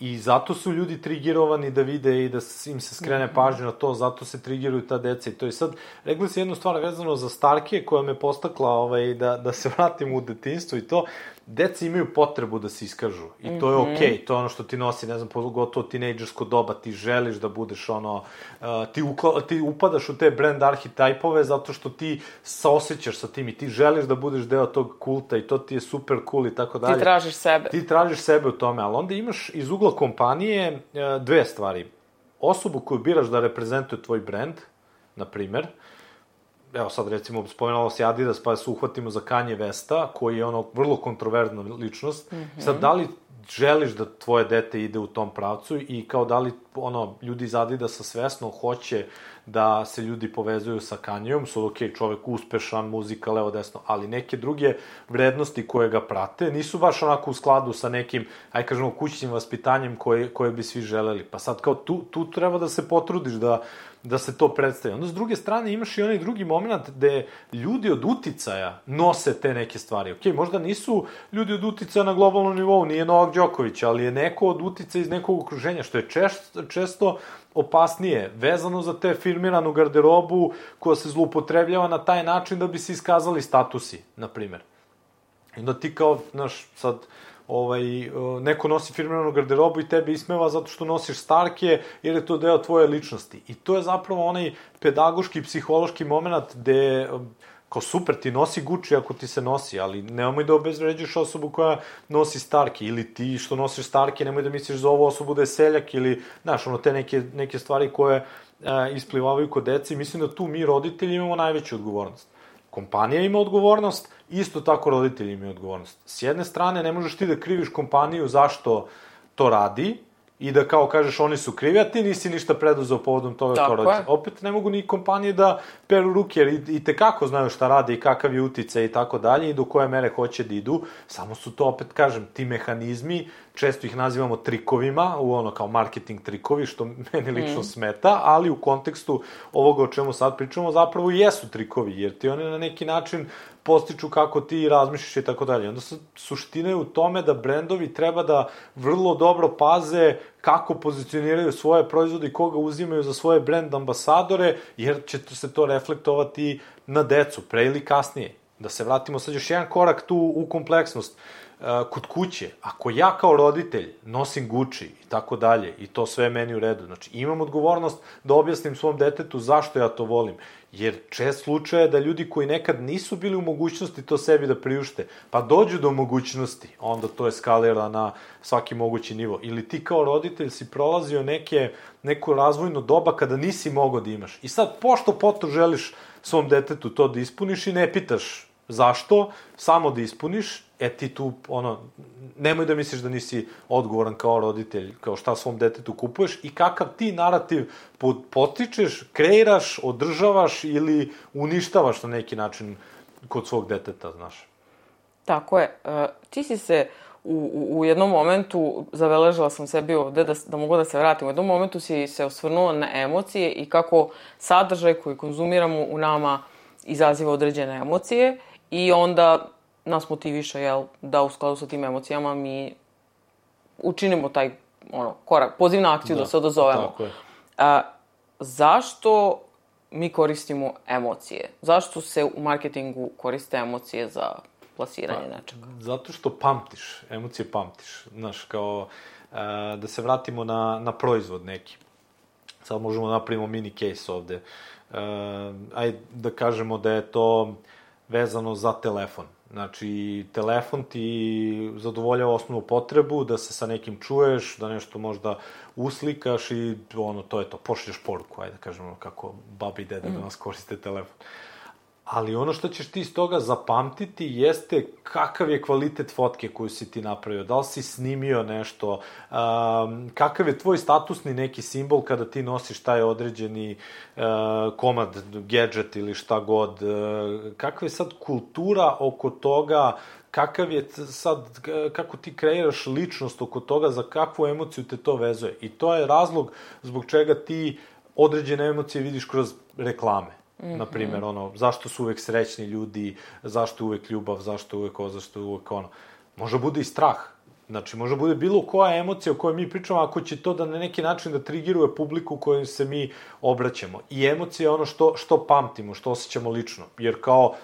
I zato su ljudi trigerovani da vide i da im se skrene pažnja na to, zato se trigeruju ta deca. I to je sad, rekli si jednu stvar vezano za Starke, koja me postakla ovaj, da, da se vratim u detinjstvo i to, deca imaju potrebu da se iskažu. I to je okej, okay. To je ono što ti nosi, ne znam, pogotovo tinejdžersko doba, ti želiš da budeš ono, uh, ti, ukla, ti upadaš u te brand arhetipove zato što ti saosećaš sa tim i ti želiš da budeš deo tog kulta i to ti je super cool i tako dalje. Ti tražiš sebe. Ti tražiš sebe u tome, ali onda imaš iz ugla kompanije uh, dve stvari. Osobu koju biraš da reprezentuje tvoj brand, na primer, evo sad recimo spomenalo se Adidas, pa se uhvatimo za Kanje Westa, koji je ono vrlo kontroverzna ličnost. Mm-hmm. Sad, da li želiš da tvoje dete ide u tom pravcu i kao da li ono, ljudi iz Adidasa svesno hoće da se ljudi povezuju sa Kanjom, su ok, čovek uspešan, muzika, levo, desno, ali neke druge vrednosti koje ga prate nisu baš onako u skladu sa nekim, aj kažemo, kućnim vaspitanjem koje, koje bi svi želeli. Pa sad kao tu, tu treba da se potrudiš da da se to predstavi. Onda s druge strane imaš i onaj drugi moment gde ljudi od uticaja nose te neke stvari. Ok, možda nisu ljudi od uticaja na globalnom nivou, nije Novak Đoković, ali je neko od uticaja iz nekog okruženja, što je često, često opasnije, vezano za te firmiranu garderobu koja se zloupotrebljava na taj način da bi se iskazali statusi, na primer. I onda ti kao, znaš, sad ovaj, neko nosi firmiranu garderobu i tebe ismeva zato što nosiš Starke, jer je to deo tvoje ličnosti. I to je zapravo onaj pedagoški, psihološki moment gde, kao super, ti nosi Gucci ako ti se nosi, ali nemoj da obezvređuješ osobu koja nosi Starke, ili ti što nosiš Starke, nemoj da misliš za ovu osobu da je seljak, ili, znaš, ono, te neke, neke stvari koje a, isplivavaju kod dece. Mislim da tu mi, roditelji, imamo najveću odgovornost. Kompanija ima odgovornost, isto tako roditelji imaju odgovornost. S jedne strane, ne možeš ti da kriviš kompaniju zašto to radi i da kao kažeš oni su krivi, a ti nisi ništa preduzeo povodom toga tako kao roditelj. Opet ne mogu ni kompanije da peru ruke, jer i, i tekako znaju šta rade i kakav je uticaj i tako dalje i do koje mere hoće da idu. Samo su to, opet kažem, ti mehanizmi, često ih nazivamo trikovima, u ono kao marketing trikovi, što meni lično mm. smeta, ali u kontekstu ovoga o čemu sad pričamo, zapravo jesu trikovi, jer ti oni na neki način postiču kako ti razmišljaš i tako dalje. Onda suština je u tome da brendovi treba da vrlo dobro paze kako pozicioniraju svoje proizvode i koga uzimaju za svoje brend ambasadore, jer će se to reflektovati na decu, pre ili kasnije. Da se vratimo sad još jedan korak tu u kompleksnost. Kod kuće, ako ja kao roditelj nosim Gucci i tako dalje i to sve meni u redu, znači imam odgovornost da objasnim svom detetu zašto ja to volim, jer čest slučaj je da ljudi koji nekad nisu bili u mogućnosti to sebi da priušte, pa dođu do mogućnosti, onda to eskalira na svaki mogući nivo. Ili ti kao roditelj si prolazio neke, neko razvojno doba kada nisi mogao da imaš. I sad, pošto poto želiš svom detetu to da ispuniš i ne pitaš zašto, samo da ispuniš, e ti tu, ono, nemoj da misliš da nisi odgovoran kao roditelj, kao šta svom detetu kupuješ i kakav ti narativ potičeš, kreiraš, održavaš ili uništavaš na neki način kod svog deteta, znaš. Tako je. E, ti si se u, u jednom momentu, zabeležila sam sebi ovde da, da mogu da se vratim, u jednom momentu si se osvrnuo na emocije i kako sadržaj koji konzumiramo u nama izaziva određene emocije i onda nas motiviše, jel, da u skladu sa tim emocijama mi učinimo taj, ono, korak, poziv na akciju da, da se odazovemo. Tako je. A, zašto mi koristimo emocije? Zašto se u marketingu koriste emocije za plasiranje pa, nečega? Zato što pamtiš, emocije pamtiš. Znaš, kao, a, da se vratimo na, na proizvod neki. sad možemo da napravimo mini case ovde. Uh, ajde da kažemo da je to vezano za telefon. Znači, telefon ti zadovoljava osnovnu potrebu da se sa nekim čuješ, da nešto možda uslikaš i ono, to je to, pošlješ poruku, ajde da kažemo kako babi i dede mm. danas koriste telefon. Ali ono što ćeš ti iz toga zapamtiti jeste kakav je kvalitet fotke koju si ti napravio, da li si snimio nešto, um, kakav je tvoj statusni neki simbol kada ti nosiš taj određeni uh, komad, gadget ili šta god, uh, kakva je sad kultura oko toga, kakav je sad, kako ti kreiraš ličnost oko toga, za kakvu emociju te to vezuje. I to je razlog zbog čega ti određene emocije vidiš kroz reklame. Mm-hmm. Naprimjer, ono, zašto su uvek srećni ljudi, zašto je uvek ljubav, zašto je uvek ovo, zašto je uvek ono. Može bude i strah. Znači, može bude bilo koja emocija o kojoj mi pričamo, ako će to da na neki način da trigiruje publiku kojoj se mi obraćamo. I emocija je ono što, što pamtimo, što osjećamo lično. Jer kao,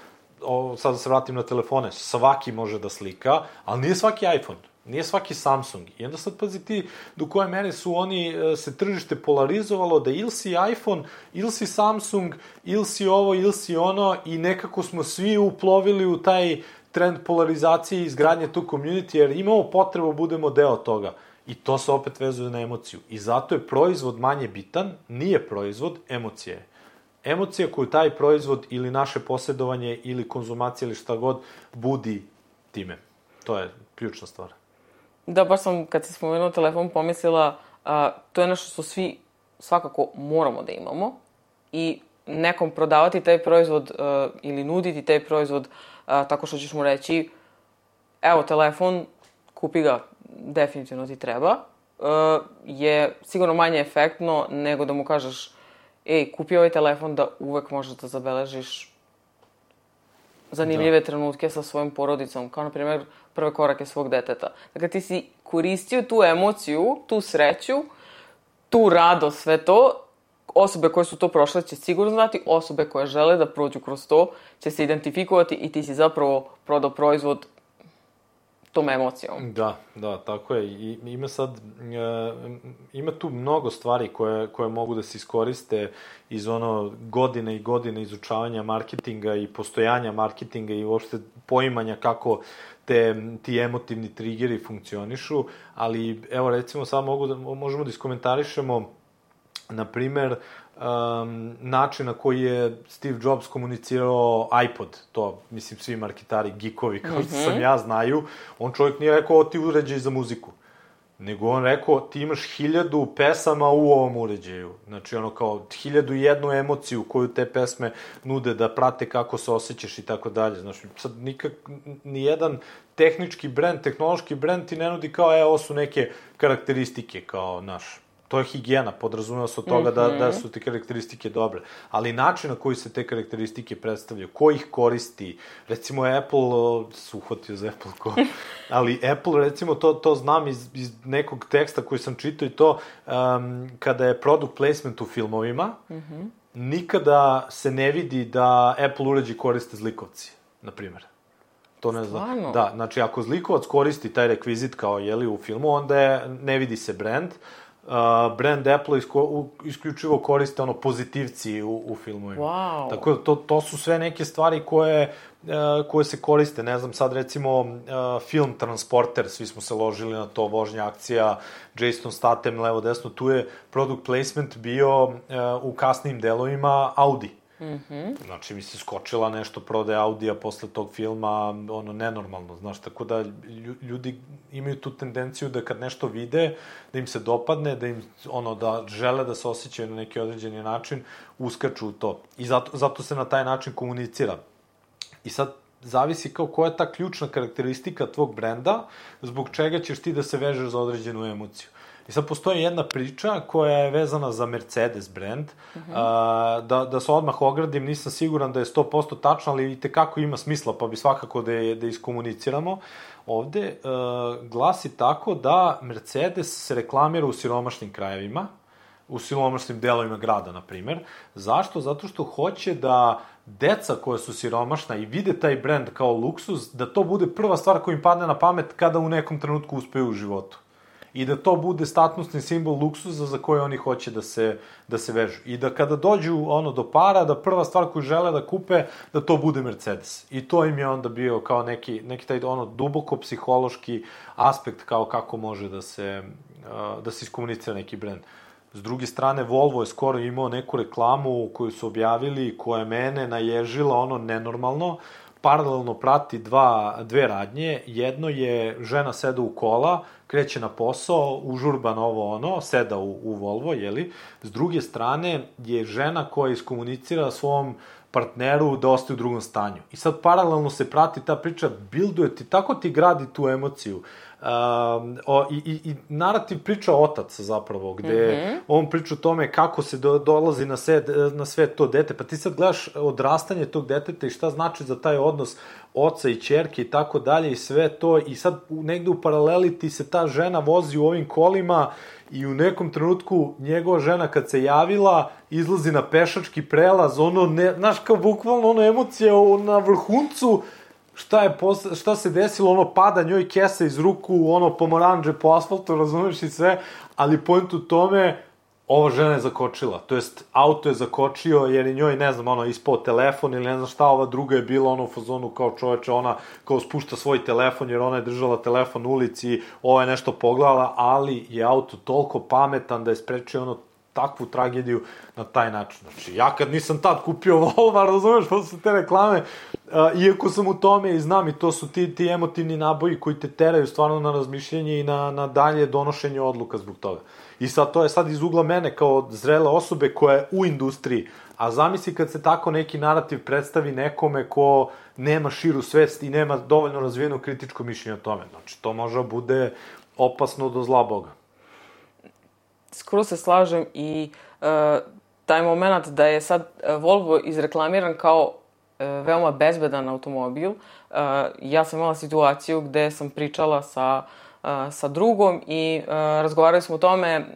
o, sad da se vratim na telefone, svaki može da slika, ali nije svaki iPhone. Nije svaki Samsung. I onda sad pazi ti do koje mere su oni, se tržište polarizovalo da ili si iPhone, ili si Samsung, ili si ovo, ili si ono i nekako smo svi uplovili u taj trend polarizacije i izgradnje tu community, jer imamo potrebu budemo deo toga. I to se opet vezuje na emociju. I zato je proizvod manje bitan, nije proizvod, emocija je. Emocija koju taj proizvod ili naše posjedovanje ili konzumacija ili šta god budi time. To je ključna stvar. Da, baš sam, kad si spomenuo telefon, pomislila, a, to je nešto što svi svakako moramo da imamo i nekom prodavati taj proizvod a, ili nuditi taj proizvod a, tako što ćeš mu reći, evo, telefon, kupi ga, definitivno ti treba, a, je sigurno manje efektno nego da mu kažeš, ej, kupi ovaj telefon da uvek možeš da zabeležiš zanimljive da. trenutke sa svojom porodicom, kao na primjer prve korake svog deteta. Dakle, ti si koristio tu emociju, tu sreću, tu radost, sve to. Osobe koje su to prošle će sigurno znati, osobe koje žele da prođu kroz to će se identifikovati i ti si zapravo prodao proizvod tom emocijom. Da, da, tako je. I, ima sad, e, ima tu mnogo stvari koje, koje mogu da se iskoriste iz ono godine i godine izučavanja marketinga i postojanja marketinga i uopšte poimanja kako te, ti emotivni triggeri funkcionišu, ali evo recimo sad mogu da, možemo da iskomentarišemo na primer um, način na koji je Steve Jobs komunicirao iPod, to mislim svi marketari, geekovi kao što sam ja znaju, on čovjek nije rekao ti uređaj za muziku, nego on rekao ti imaš hiljadu pesama u ovom uređaju, znači ono kao hiljadu i jednu emociju koju te pesme nude da prate kako se osjećaš i tako dalje, znači sad nikak, nijedan tehnički brend, tehnološki brend ti ne nudi kao e, ovo su neke karakteristike kao naš. To je higijena, podrazumeva se od toga mm-hmm. da, da su te karakteristike dobre. Ali način na koji se te karakteristike predstavljaju, ko ih koristi, recimo Apple, su uhvatio za Apple ko, ali Apple, recimo, to, to znam iz, iz nekog teksta koji sam čitao i to, um, kada je product placement u filmovima, mm-hmm. nikada se ne vidi da Apple uređaj koriste zlikovci, na primjer. To ne znam. Da, znači, ako zlikovac koristi taj rekvizit kao, jeli, u filmu, onda je, ne vidi se brand. Uh, brand Apple isko, u, isključivo koriste ono pozitivci u, u filmovima. Wow. Tako da to, to su sve neke stvari koje, uh, koje se koriste. Ne znam, sad recimo uh, film Transporter, svi smo se ložili na to, vožnja akcija, Jason Statham, levo desno, tu je product placement bio uh, u kasnim delovima Audi. Mm-hmm. Znači, mi se skočila nešto prodaje Audija posle tog filma, ono, nenormalno, znaš, tako da ljudi imaju tu tendenciju da kad nešto vide, da im se dopadne, da im, ono, da žele da se osjećaju na neki određeni način, uskaču u to. I zato, zato se na taj način komunicira. I sad, zavisi kao koja je ta ključna karakteristika tvog brenda, zbog čega ćeš ti da se vežeš za određenu emociju. I sad postoji jedna priča koja je vezana za Mercedes brand, uh-huh. a, da, da se odmah ogradim, nisam siguran da je sto posto tačno, ali i tekako ima smisla, pa bi svakako da je, da iskomuniciramo. Ovde a, glasi tako da Mercedes se reklamira u siromašnim krajevima, u siromašnim delovima grada, na primer. Zašto? Zato što hoće da deca koja su siromašna i vide taj brand kao luksuz, da to bude prva stvar koja im padne na pamet kada u nekom trenutku uspeju u životu. i da to bude statusni simbol luksuza za koje oni hoće da se, da se vežu. I da kada dođu ono do para, da prva stvar koju žele da kupe, da to bude Mercedes. I to im je onda bio kao neki, neki taj ono duboko psihološki aspekt kao kako može da se, da se iskomunicira neki brend. S druge strane, Volvo je skoro imao neku reklamu koju su objavili, koja je mene naježila ono nenormalno, paralelno prati dva, dve radnje. Jedno je žena seda u kola, kreće na posao, užurban ovo ono, seda u, u Volvo, jeli? S druge strane je žena koja iskomunicira svom partneru da ostaje u drugom stanju. I sad paralelno se prati ta priča, bilduje ti, tako ti gradi tu emociju. Um, o, i, i, i narativ priča otac zapravo, gde mm-hmm. on priča o tome kako se do, dolazi na, sed, na sve to dete, pa ti sad gledaš odrastanje tog deteta i šta znači za taj odnos oca i ćerke i tako dalje i sve to, i sad negde u paraleli ti se ta žena vozi u ovim kolima i u nekom trenutku njegova žena kad se javila izlazi na pešački prelaz, ono, ne, znaš, kao bukvalno ono emocija na vrhuncu. Šta je posle, šta se desilo, ono, pada njoj kesa iz ruku, ono, pomoranđe po asfaltu, razumeš, i sve, ali point u tome, ova žena je zakočila, to jest, auto je zakočio, jer je njoj, ne znam, ono, ispao telefon ili ne znam šta, ova druga je bila, ono, u fazonu kao čoveče, ona, kao spušta svoj telefon, jer ona je držala telefon u ulici, ova je nešto pogledala, ali je auto toliko pametan da je sprečio, ono, takvu tragediju na taj način. Znači, ja kad nisam tad kupio Volvo, razumeš, posle te reklame, uh, iako sam u tome i znam, i to su ti, ti emotivni naboji koji te teraju stvarno na razmišljanje i na, na dalje donošenje odluka zbog toga. I sad, to je sad iz ugla mene kao zrele osobe koja je u industriji, a zamisli kad se tako neki narativ predstavi nekome ko nema širu svest i nema dovoljno razvijeno kritičko mišljenje o tome. Znači, to može bude opasno do zla Boga. Skoro se slažem i uh, taj moment da je sad Volvo izreklamiran kao uh, veoma bezbedan automobil. Uh, ja sam imala situaciju gde sam pričala sa, uh, sa drugom i uh, razgovarali smo o tome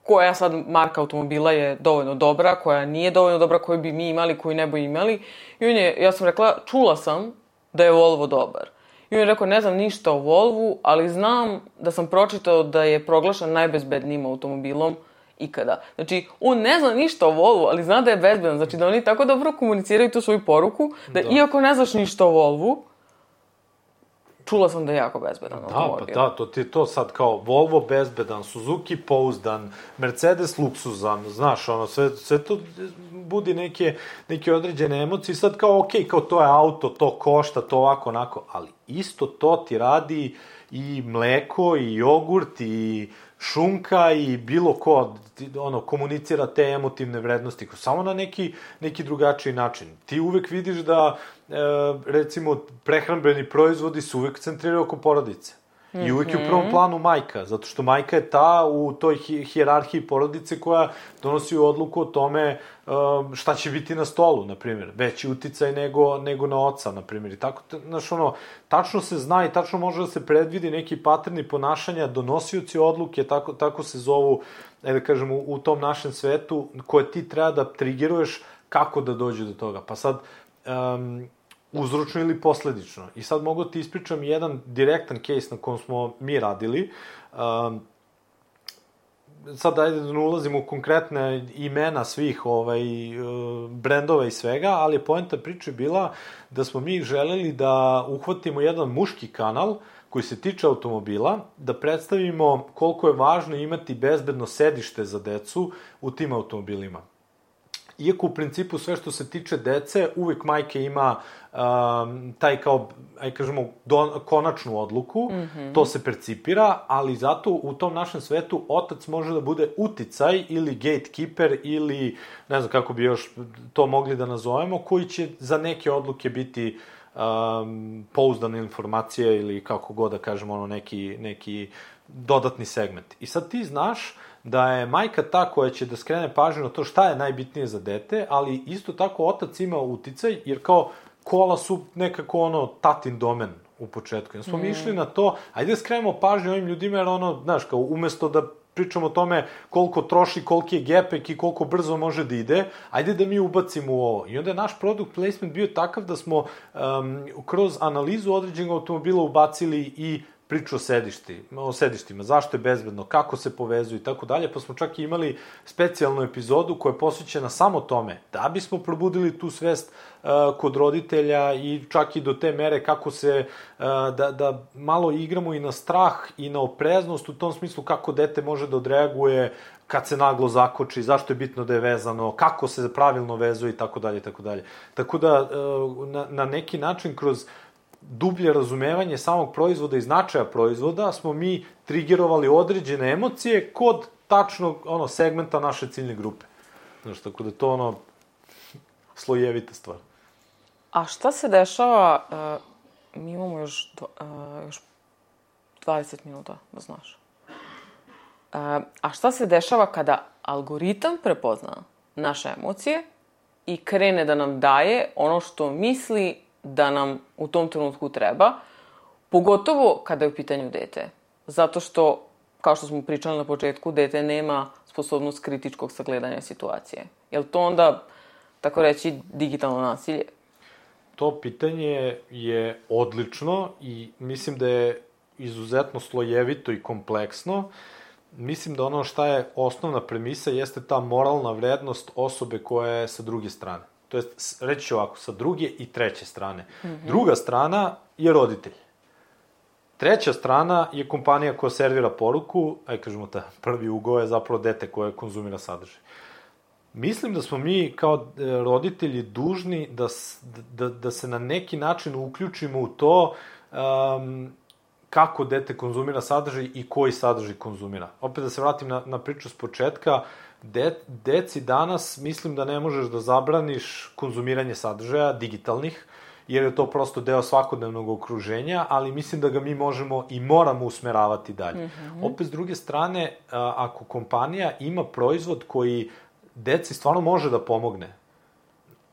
koja sad marka automobila je dovoljno dobra, koja nije dovoljno dobra, koju bi mi imali, koju ne bi imali. I on je, ja sam rekla, čula sam da je Volvo dobar. I on je rekao, ne znam ništa o Volvu, ali znam da sam pročitao da je proglašen najbezbednijim automobilom ikada. Znači, on ne zna ništa o Volvu, ali zna da je bezbedan. Znači, da oni tako dobro komuniciraju tu svoju poruku, da, da. Iako ne znaš ništa o Volvu, čula sam da je jako bezbedan automobil. Da, pa da, to ti je to sad kao Volvo bezbedan, Suzuki pouzdan, Mercedes luksuzan, znaš, ono, sve, sve to budi neke, neke određene emocije. Sad kao, okej, okay, kao to je auto, to košta, to ovako, onako, ali isto to ti radi i mleko, i jogurt, i šunka, i bilo ko, ono, komunicira te emotivne vrednosti, samo na neki, neki drugačiji način. Ti uvek vidiš da, e, recimo, prehrambeni proizvodi su uvek centriraju oko porodice. Mm-hmm. I uvek je u prvom planu majka, zato što majka je ta u toj hi- hijerarhiji porodice koja donosi odluku o tome um, šta će biti na stolu, na primjer. Veći uticaj nego, nego na oca, na primjer. I tako, znaš, ono, tačno se zna i tačno može da se predvidi neki paterni ponašanja, donosioci odluke, tako, tako se zovu, da kažem, u, u tom našem svetu, koje ti treba da triggeruješ kako da dođe do toga. Pa sad, um, uzročno ili posledično. I sad mogu ti ispričam jedan direktan case na kom smo mi radili. Um, sad ajde da ne ulazimo u konkretne imena svih ovaj, brendova i svega, ali je poenta priče bila da smo mi želeli da uhvatimo jedan muški kanal koji se tiče automobila, da predstavimo koliko je važno imati bezbedno sedište za decu u tim automobilima. Iako u principu sve što se tiče dece, uvek majka ima um, taj kao, aj kažemo, don, konačnu odluku, mm-hmm. to se percipira, ali zato u tom našem svetu otac može da bude uticaj ili gatekeeper ili, ne znam kako bi još to mogli da nazovemo, koji će za neke odluke biti um, pouzdane informacije ili kako god da kažemo, ono, neki, neki dodatni segment. I sad ti znaš da je majka ta koja će da skrene pažnju na to šta je najbitnije za dete, ali isto tako otac ima uticaj, jer kao kola su nekako ono tatin domen u početku. Ja smo mm. mi išli na to, ajde da skrenemo pažnju ovim ljudima, jer ono, znaš, kao umesto da pričamo o tome koliko troši, koliki je gepek i koliko brzo može da ide, ajde da mi ubacimo u ovo. I onda je naš product placement bio takav da smo um, kroz analizu određenog automobila ubacili i priču o, sedišti, o sedištima, zašto je bezbedno, kako se povezuju i tako dalje, pa smo čak i imali specijalnu epizodu koja je posvećena samo tome, da bismo probudili tu svest uh, kod roditelja i čak i do te mere kako se, uh, da, da malo igramo i na strah i na opreznost u tom smislu kako dete može da odreaguje kad se naglo zakoči, zašto je bitno da je vezano, kako se pravilno vezuje i tako dalje i tako dalje. Tako da uh, na, na neki način kroz dublje razumevanje samog proizvoda i značaja proizvoda smo mi trigerovali određene emocije kod tačnog ono, segmenta naše ciljne grupe. Znaš, tako da to ono slojevita stvar. A šta se dešava, uh, mi imamo još, uh, još dvadeset minuta, da znaš. Uh, a šta se dešava kada algoritam prepozna naše emocije i krene da nam daje ono što misli da nam u tom trenutku treba, pogotovo kada je u pitanju dete. Zato što, kao što smo pričali na početku, dete nema sposobnost kritičkog sagledanja situacije. Je li to onda, tako reći, digitalno nasilje? To pitanje je odlično i mislim da je izuzetno slojevito i kompleksno. Mislim da ono šta je osnovna premisa jeste ta moralna vrednost osobe koja je sa druge strane. To jest, reći ću ovako, sa druge i treće strane. Mm-hmm. Druga strana je roditelj. Treća strana je kompanija koja servira poruku, aj kažemo ta prvi ugao je zapravo dete koje konzumira sadržaj. Mislim da smo mi kao roditelji dužni da, da, da se na neki način uključimo u to um, kako dete konzumira sadržaj i koji sadržaj konzumira. Opet da se vratim na, na priču s početka, De, deci danas mislim da ne možeš da zabraniš konzumiranje sadržaja digitalnih, jer je to prosto deo svakodnevnog okruženja, ali mislim da ga mi možemo i moramo usmeravati dalje. Mm-hmm. Opet, s druge strane, ako kompanija ima proizvod koji deci stvarno može da pomogne,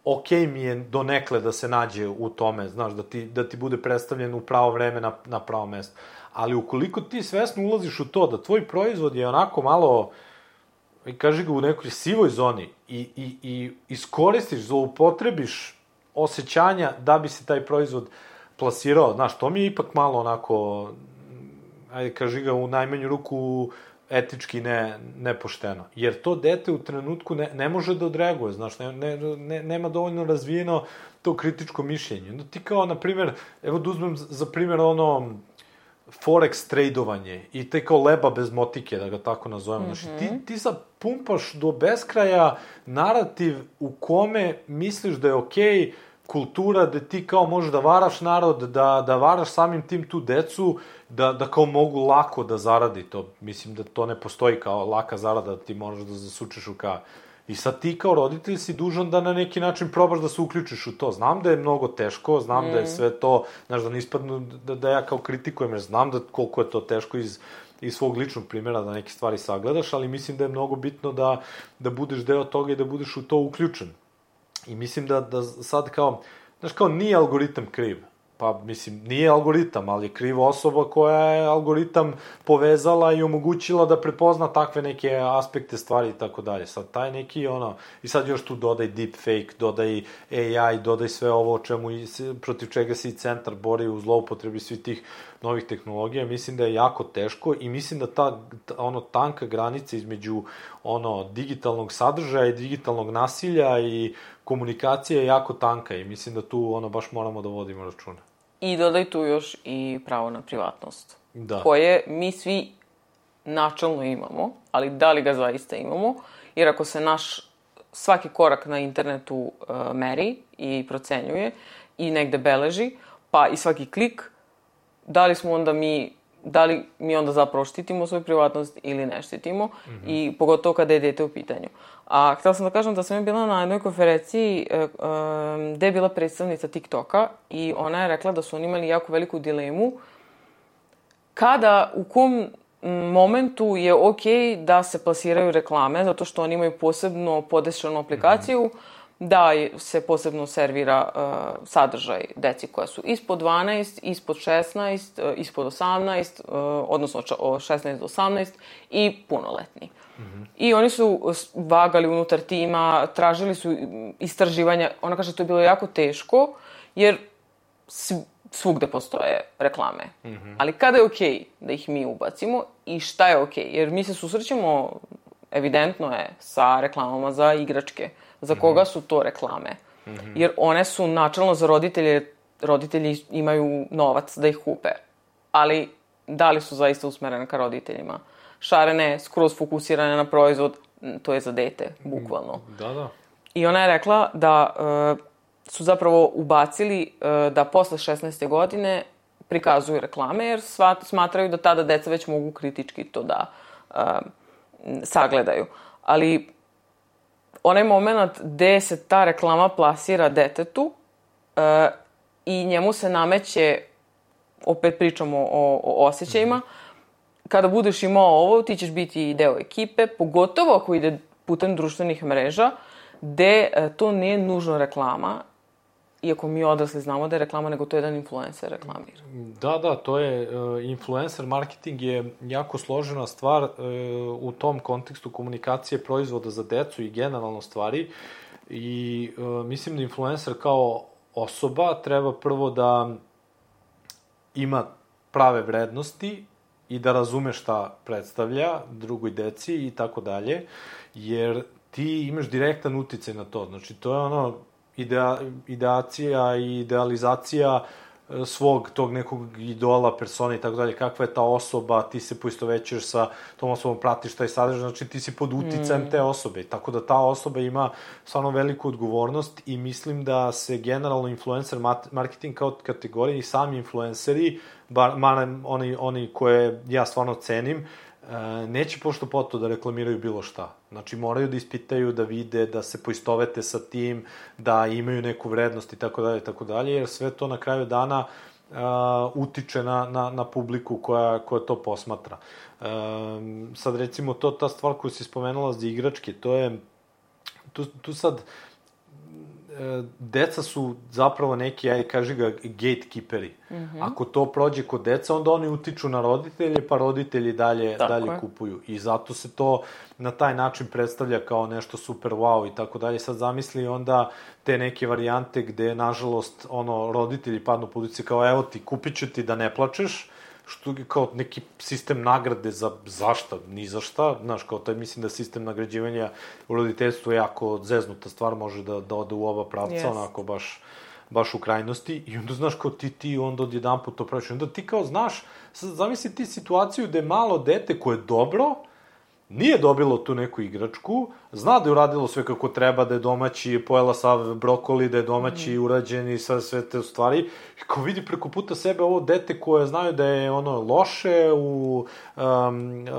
ok mi je donekle da se nađe u tome, znaš, da ti, da ti bude predstavljen u pravo vreme na, na pravo mesto. Ali ukoliko ti svesno ulaziš u to da tvoj proizvod je onako malo, kaži ga, u nekoj sivoj zoni i, i, i iskoristiš, zloupotrebiš osjećanja da bi se taj proizvod plasirao, znaš, to mi je ipak malo onako, ajde kaži ga, u najmanju ruku etički ne, nepošteno. Jer to dete u trenutku ne, ne može da odreaguje, znaš, ne, ne, ne, nema dovoljno razvijeno to kritičko mišljenje. No ti kao, na primjer, evo da uzmem za primjer ono forex tradovanje i te kao leba bez motike, da ga tako nazovemo. Mm-hmm. Znači, ti, ti sad pumpaš do beskraja narativ u kome misliš da je okej okay kultura da ti kao možeš da varaš narod, da, da varaš samim tim tu decu, da, da kao mogu lako da zaradi to. Mislim da to ne postoji kao laka zarada, da ti možeš da zasučeš u ka. I sad ti kao roditelj si dužan da na neki način probaš da se uključiš u to. Znam da je mnogo teško, znam mm. da je sve to, znaš, da ne ispadnu da, da ja kao kritikujem, jer znam da koliko je to teško iz, iz svog ličnog primjera da neke stvari sagledaš, ali mislim da je mnogo bitno da, da budeš deo toga i da budeš u to uključen. I mislim da, da sad kao, znaš, kao nije algoritam kriv. Pa, mislim, nije algoritam, ali je kriva osoba koja je algoritam povezala i omogućila da prepozna takve neke aspekte stvari i tako dalje. Sad, taj neki, ono, i sad još tu dodaj deepfake, dodaj A I, dodaj sve ovo o čemu, protiv čega se i centar bori u zloupotrebi svih tih novih tehnologija. Mislim da je jako teško i mislim da ta, ta ono, tanka granica između, ono, digitalnog sadržaja i digitalnog nasilja i komunikacija je jako tanka i mislim da tu, ono, baš moramo da vodimo računa. I dodaj tu još i pravo na privatnost. Da. Koje mi svi načalno imamo, ali da li ga zaista imamo? Jer ako se naš svaki korak na internetu uh, meri i procenjuje i negde beleži, pa i svaki klik, da li smo onda mi, da li mi onda zapravo štitimo svoju privatnost ili ne štitimo, mm-hmm. i pogotovo kada je dete u pitanju. A htjela sam da kažem da sam je bila na jednoj konferenciji e, e, gde je bila predstavnica TikToka i ona je rekla da su oni imali jako veliku dilemu kada, u kom momentu je okej da se plasiraju reklame, zato što oni imaju posebno podešanu aplikaciju, mm-hmm. da se posebno servira uh, sadržaj deci koja su ispod dvanaest, ispod šesnaest, uh, ispod osamnaest, uh, odnosno od šesnaest do osamnaest i punoletni. Mm-hmm. I oni su vagali unutar tima, tražili su istraživanja. Ona kaže, to je bilo jako teško, jer svugde postoje reklame. Mm-hmm. Ali kada je okej okay da ih mi ubacimo i šta je okej? Okay? Jer mi se susrećemo, evidentno je, sa reklamama za igračke. Za koga su to reklame? Mm-hmm. Jer one su načelno za roditelje, roditelji imaju novac da ih kupe. Ali da li su zaista usmerene ka roditeljima? Šarene, skroz fokusirane na proizvod, to je za dete, bukvalno. Da, da. I ona je rekla da uh, su zapravo ubacili uh, da posle šesnaeste godine prikazuju reklame, jer svat, smatraju da tada deca već mogu kritički to da uh, sagledaju. Ali onaj moment gde se ta reklama plasira detetu uh, i njemu se nameće, opet pričamo o, o osjećajima, mm-hmm. kada budeš imao ovo, ti ćeš biti deo ekipe, pogotovo ako ide putem društvenih mreža, gde uh, to nije nužno reklama, iako mi odrasli znamo da je reklama, nego to je jedan influencer reklamira. Da, da, to je, uh, influencer marketing je jako složena stvar uh, u tom kontekstu komunikacije proizvoda za decu i generalno stvari. I uh, mislim da influencer kao osoba treba prvo da ima prave vrednosti i da razume šta predstavlja drugoj deci i tako dalje, jer ti imaš direktan uticaj na to. Znači, to je ono idea, ideacija i idealizacija svog tog nekog idola, persona i tako dalje, kakva je ta osoba, ti se poistovećuješ sa tom osobom, pratiš taj sadržaj, znači ti si pod uticajem mm. te osobe, tako da ta osoba ima stvarno veliku odgovornost i mislim da se generalno influencer marketing kao kategorija i sami influenceri, bar, bar oni, oni koje ja stvarno cenim, neće pošto poto da reklamiraju bilo šta. Znači, moraju da ispitaju, da vide, da se poistovete sa tim, da imaju neku vrednost i tako dalje, tako dalje, jer sve to na kraju dana uh, utiče na, na, na publiku koja, koja to posmatra. Uh, sad, recimo, to, ta stvar koju si spomenula za igračke, to je, tu, tu sad, deca su zapravo neki, aj kaži ga, gatekeeperi. Mm-hmm. Ako to prođe kod deca, onda oni utiču na roditelje, pa roditelji dalje, dalje kupuju. I zato se to na taj način predstavlja kao nešto super wow i tako dalje. Sad zamisli onda te neke varijante gde, nažalost, ono, roditelji padnu pod ulici kao, evo ti, kupit ću ti da ne plačeš, što je kao neki sistem nagrade za zašta, ni za šta, znaš, kao taj, mislim da sistem nagrađivanja u roditeljstvu je jako zeznuta stvar, može da, da ode u oba pravca, yes. onako baš, baš u krajnosti, i onda, znaš, kao ti, ti onda odjedan put to praviš, onda ti kao, znaš, zamisli ti situaciju gde malo dete koje je dobro, nije dobilo tu neku igračku, zna da je uradilo sve kako treba, da je domaći, pojela sav brokoli, da je domaći mm. urađen i sve, sve te stvari. I kao vidi preko puta sebe ovo dete koje znaju da je ono loše u um, uh,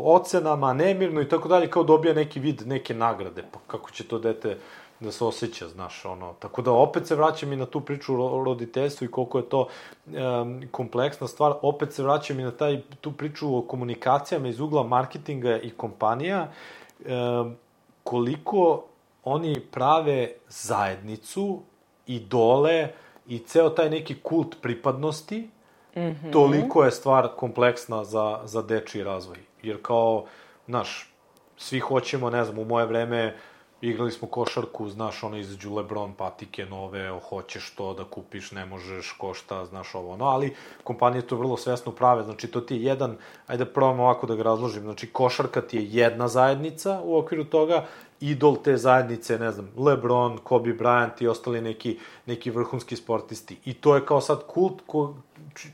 ocenama, nemirno i tako dalje, kao dobija neki vid, neke nagrade. Pa kako će to dete da se osjeća, znaš, ono. Tako da opet se vraćam i na tu priču o roditeljstvu i koliko je to um, kompleksna stvar. Opet se vraćam i na taj, tu priču o komunikacijama iz ugla marketinga i kompanija. Um, koliko oni prave zajednicu, idole i ceo taj neki kult pripadnosti, mm-hmm. toliko je stvar kompleksna za, za dečiji razvoj. Jer kao, znaš, svi hoćemo, ne znam, u moje vreme igrali smo košarku, znaš, ono, izađu LeBron patike nove, hoćeš to da kupiš, ne možeš, košta, znaš, ovo, ono, ali kompanije to vrlo svesno prave, znači, to ti je jedan, ajde da probam ovako da ga razložim, znači, košarka ti je jedna zajednica u okviru toga, idol te zajednice, ne znam, LeBron, Kobe Bryant i ostali neki, neki vrhunski sportisti. I to je kao sad kult ko,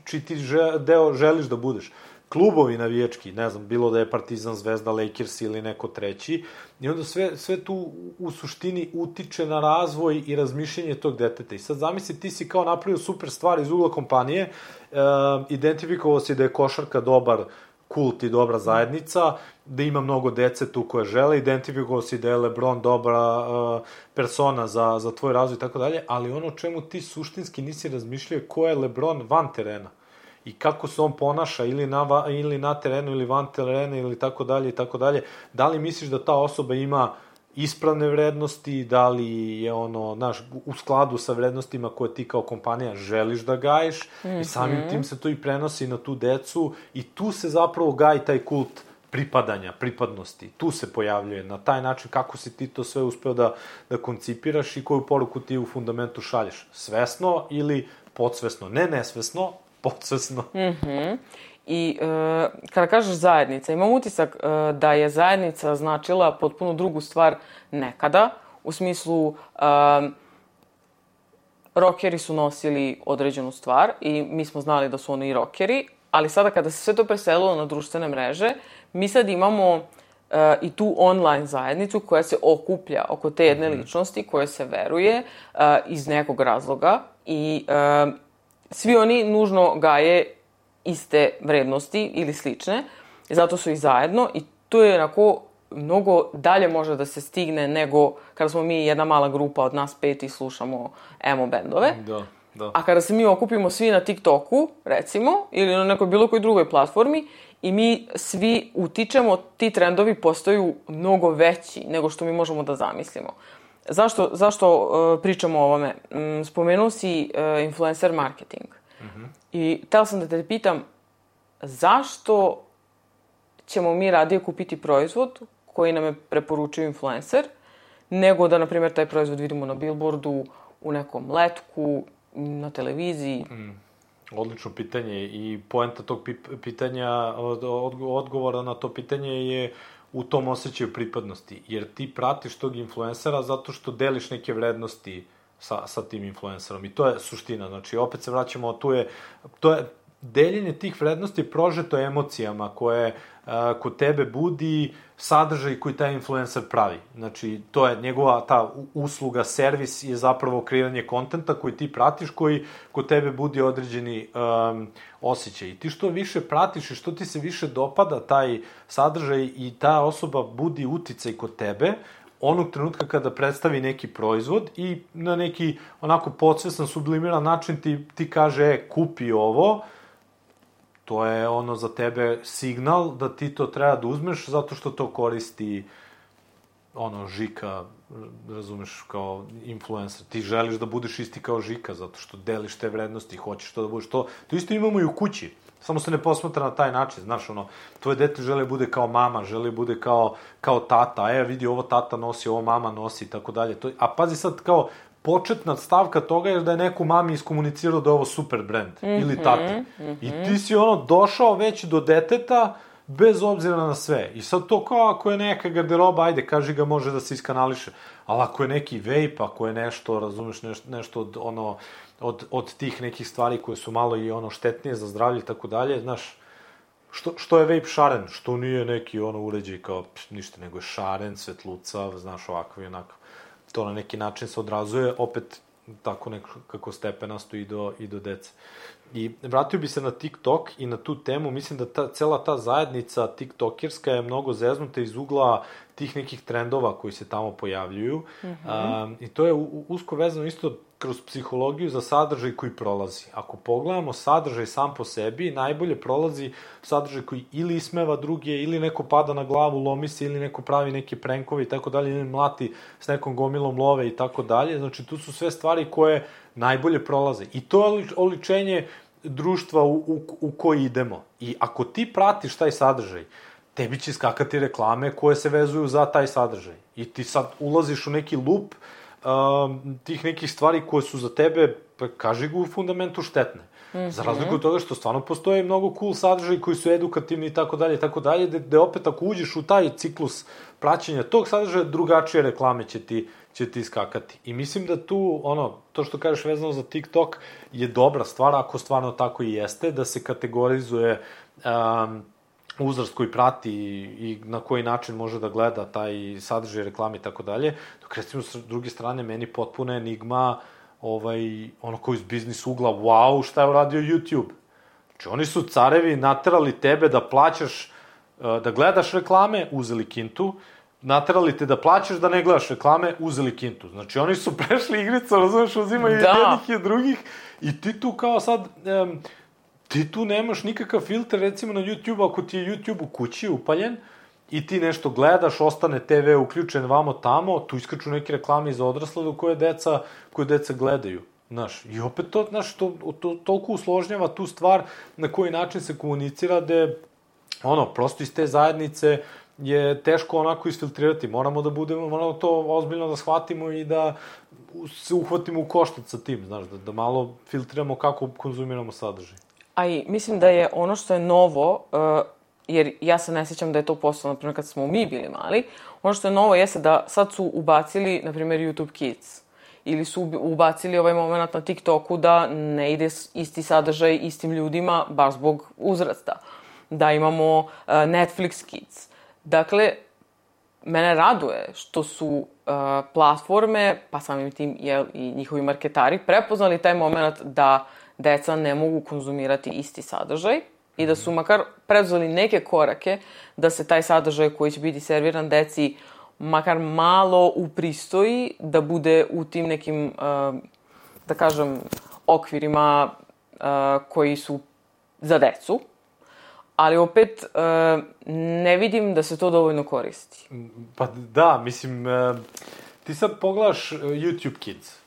či ti že, deo želiš da budeš. Klubovi navijački, ne znam, bilo da je Partizan, Zvezda, Lakers ili neko treći, i onda sve, sve tu u suštini utiče na razvoj i razmišljanje tog deteta. I sad zamisli, ti si kao napravio super stvar iz ugla kompanije, e, identifikovao si da je košarka dobar kult i dobra zajednica, da ima mnogo dece tu koje žele, identifikovao si da je LeBron dobra uh, persona za, za tvoj razvoj i tako dalje, ali ono čemu ti suštinski nisi razmišljao ko je LeBron van terena i kako se on ponaša ili na, ili na terenu ili van terena ili tako dalje i tako dalje. Da li misliš da ta osoba ima ispravne vrednosti, da li je ono, znaš, u skladu sa vrednostima koje ti kao kompanija želiš da gajiš, mm-hmm. i samim tim se to i prenosi na tu decu i tu se zapravo gaji taj kult pripadanja, pripadnosti. Tu se pojavljuje na taj način kako si ti to sve uspeo da, da koncipiraš i koju poruku ti u fundamentu šalješ. Svesno ili podsvesno, ne nesvesno, podsvesno. Mm-hmm. I e, kada kažeš zajednica, imam utisak e, da je zajednica značila potpuno drugu stvar nekada, u smislu e, rockeri su nosili određenu stvar i mi smo znali da su oni rockeri, ali sada kada se sve to preselilo na društvene mreže, mi sad imamo uh, i tu online zajednicu koja se okuplja oko te jedne ličnosti, koje se veruje uh, iz nekog razloga i uh, svi oni nužno gaje iste vrednosti ili slične, zato su i zajedno i to je onako mnogo dalje može da se stigne nego kada smo mi jedna mala grupa od nas pet i slušamo emo bendove. Da, da. A kada se mi okupimo svi na TikToku, recimo, ili na nekoj bilo kojoj drugoj platformi i mi svi utičemo, ti trendovi postaju mnogo veći nego što mi možemo da zamislimo. Zašto, zašto uh, pričamo o ovome? Um, spomenuo si uh, influencer marketing. Mm-hmm. I htela sam da te pitam, zašto ćemo mi radije kupiti proizvod koji nam je preporučio influencer, nego da, na primjer, taj proizvod vidimo na billboardu, u nekom letku, na televiziji? Mm. Odlično pitanje i poenta tog pitanja, odgovora na to pitanje je u tom osjećaju pripadnosti. Jer ti pratiš tog influencera zato što deliš neke vrednosti sa, sa tim influencerom. I to je suština. Znači, opet se vraćamo, tu je, to je deljenje tih vrednosti je prožeto emocijama koje uh, kod tebe budi sadržaj koji taj influencer pravi. Znači, to je njegova ta usluga, servis je zapravo kreiranje kontenta koji ti pratiš, koji kod tebe budi određeni um, osjećaj. I ti što više pratiš i što ti se više dopada taj sadržaj i ta osoba budi uticaj kod tebe, onog trenutka kada predstavi neki proizvod i na neki onako podsvestan, sublimiran način ti, ti kaže, e, kupi ovo, to je ono za tebe signal da ti to treba da uzmeš zato što to koristi ono Žika, razumeš, kao influencer. Ti želiš da budeš isti kao Žika zato što deliš te vrednosti, hoćeš to da budeš to. To isto imamo i u kući. Samo se ne posmatra na taj način, znaš, ono, tvoje dete žele bude kao mama, žele bude kao, kao tata, e, vidi, ovo tata nosi, ovo mama nosi, i tako dalje. A pazi sad, kao, početna stavka toga je da je neko mami iskomunicirao da je ovo super brand, mm-hmm, ili tati. Mm-hmm. I ti si, ono, došao već do deteta, bez obzira na sve. I sad to kao ako je neka garderoba, ajde, kaži ga, može da se iskanališe. Ali ako je neki vape, ako je nešto, razumeš, nešto, nešto od, ono, od, od tih nekih stvari koje su malo i ono štetnije za zdravlje i tako dalje, znaš, što, što je vape šaren? Što nije neki ono uređaj kao pš, ništa, nego je šaren, svetlucav, znaš, ovako i onako. To na neki način se odrazuje, opet tako nekako stepenasto i do, i do dece. I vratio bi se na TikTok i na tu temu, mislim da ta, cela ta zajednica tiktokerska je mnogo zeznuta iz ugla tih nekih trendova koji se tamo pojavljuju. Mm-hmm. A, i to je u, usko vezano isto kroz psihologiju za sadržaj koji prolazi. Ako pogledamo sadržaj sam po sebi, najbolje prolazi sadržaj koji ili ismeva druge, ili neko pada na glavu, lomi se, ili neko pravi neke prenkove i tako dalje, ili mlati s nekom gomilom love i tako dalje. Znači, tu su sve stvari koje najbolje prolaze. I to je oličenje društva u, u, u koji idemo. I ako ti pratiš taj sadržaj, tebi će skakati reklame koje se vezuju za taj sadržaj. I ti sad ulaziš u neki lup um, tih nekih stvari koje su za tebe, pa kaži ga u fundamentu, štetne. Mm-hmm. Za razliku od toga što stvarno postoje mnogo cool sadržaj koji su edukativni i tako dalje i tako dalje, gde opet ako uđeš u taj ciklus praćenja tog sadržaja, drugačije reklame će ti, će ti iskakati. I mislim da tu, ono, to što kažeš vezano za TikTok je dobra stvar, ako stvarno tako i jeste, da se kategorizuje um, uzrast koji prati i, i na koji način može da gleda taj sadržaj, reklame i tako dalje. Dok, recimo, s druge strane, meni potpuno enigma ovaj, ono koji iz biznis ugla, wow, šta je uradio YouTube? Znači, oni su carevi naterali tebe da plaćaš, da gledaš reklame, uzeli kintu, naterali te da plaćaš da ne gledaš reklame, uzeli kintu. Znači, oni su prešli igricu, razumeš, uzimaju da. jednih i drugih, i ti tu kao sad, um, ti tu nemaš nikakav filter, recimo na YouTube, ako ti je YouTube u kući upaljen, i ti nešto gledaš, ostane te ve uključen vamo tamo, tu iskaču neke reklame za odrasle do koje deca, koje deca gledaju. Znaš, i opet to, znaš, to, to, toliko usložnjava tu stvar na koji način se komunicira, da ono, prosto iz te zajednice je teško onako isfiltrirati. Moramo da budemo, moramo to ozbiljno da shvatimo i da se uhvatimo u koštac sa tim, znaš, da, da malo filtriramo kako konzumiramo sadržaj. A i mislim da je ono što je novo, uh, jer ja se ne sjećam da je to postalo, na primjer, kad smo mi bili mali, ono što je novo jeste da sad su ubacili, na primjer, YouTube Kids. Ili su ubacili ovaj moment na TikToku da ne ide isti sadržaj istim ljudima, baš zbog uzrasta. Da imamo uh, Netflix Kids. Dakle, mene raduje što su uh, platforme, pa samim tim jel, i njihovi marketari, prepoznali taj moment da deca ne mogu konzumirati isti sadržaj i da su makar preduzeli neke korake da se taj sadržaj koji će biti serviran deci makar malo upristoji, da bude u tim nekim, uh, da kažem, okvirima uh, koji su za decu. Ali opet uh, ne vidim da se to dovoljno koristi. Pa da, mislim, uh, ti sad pogledaš uh, YouTube Kids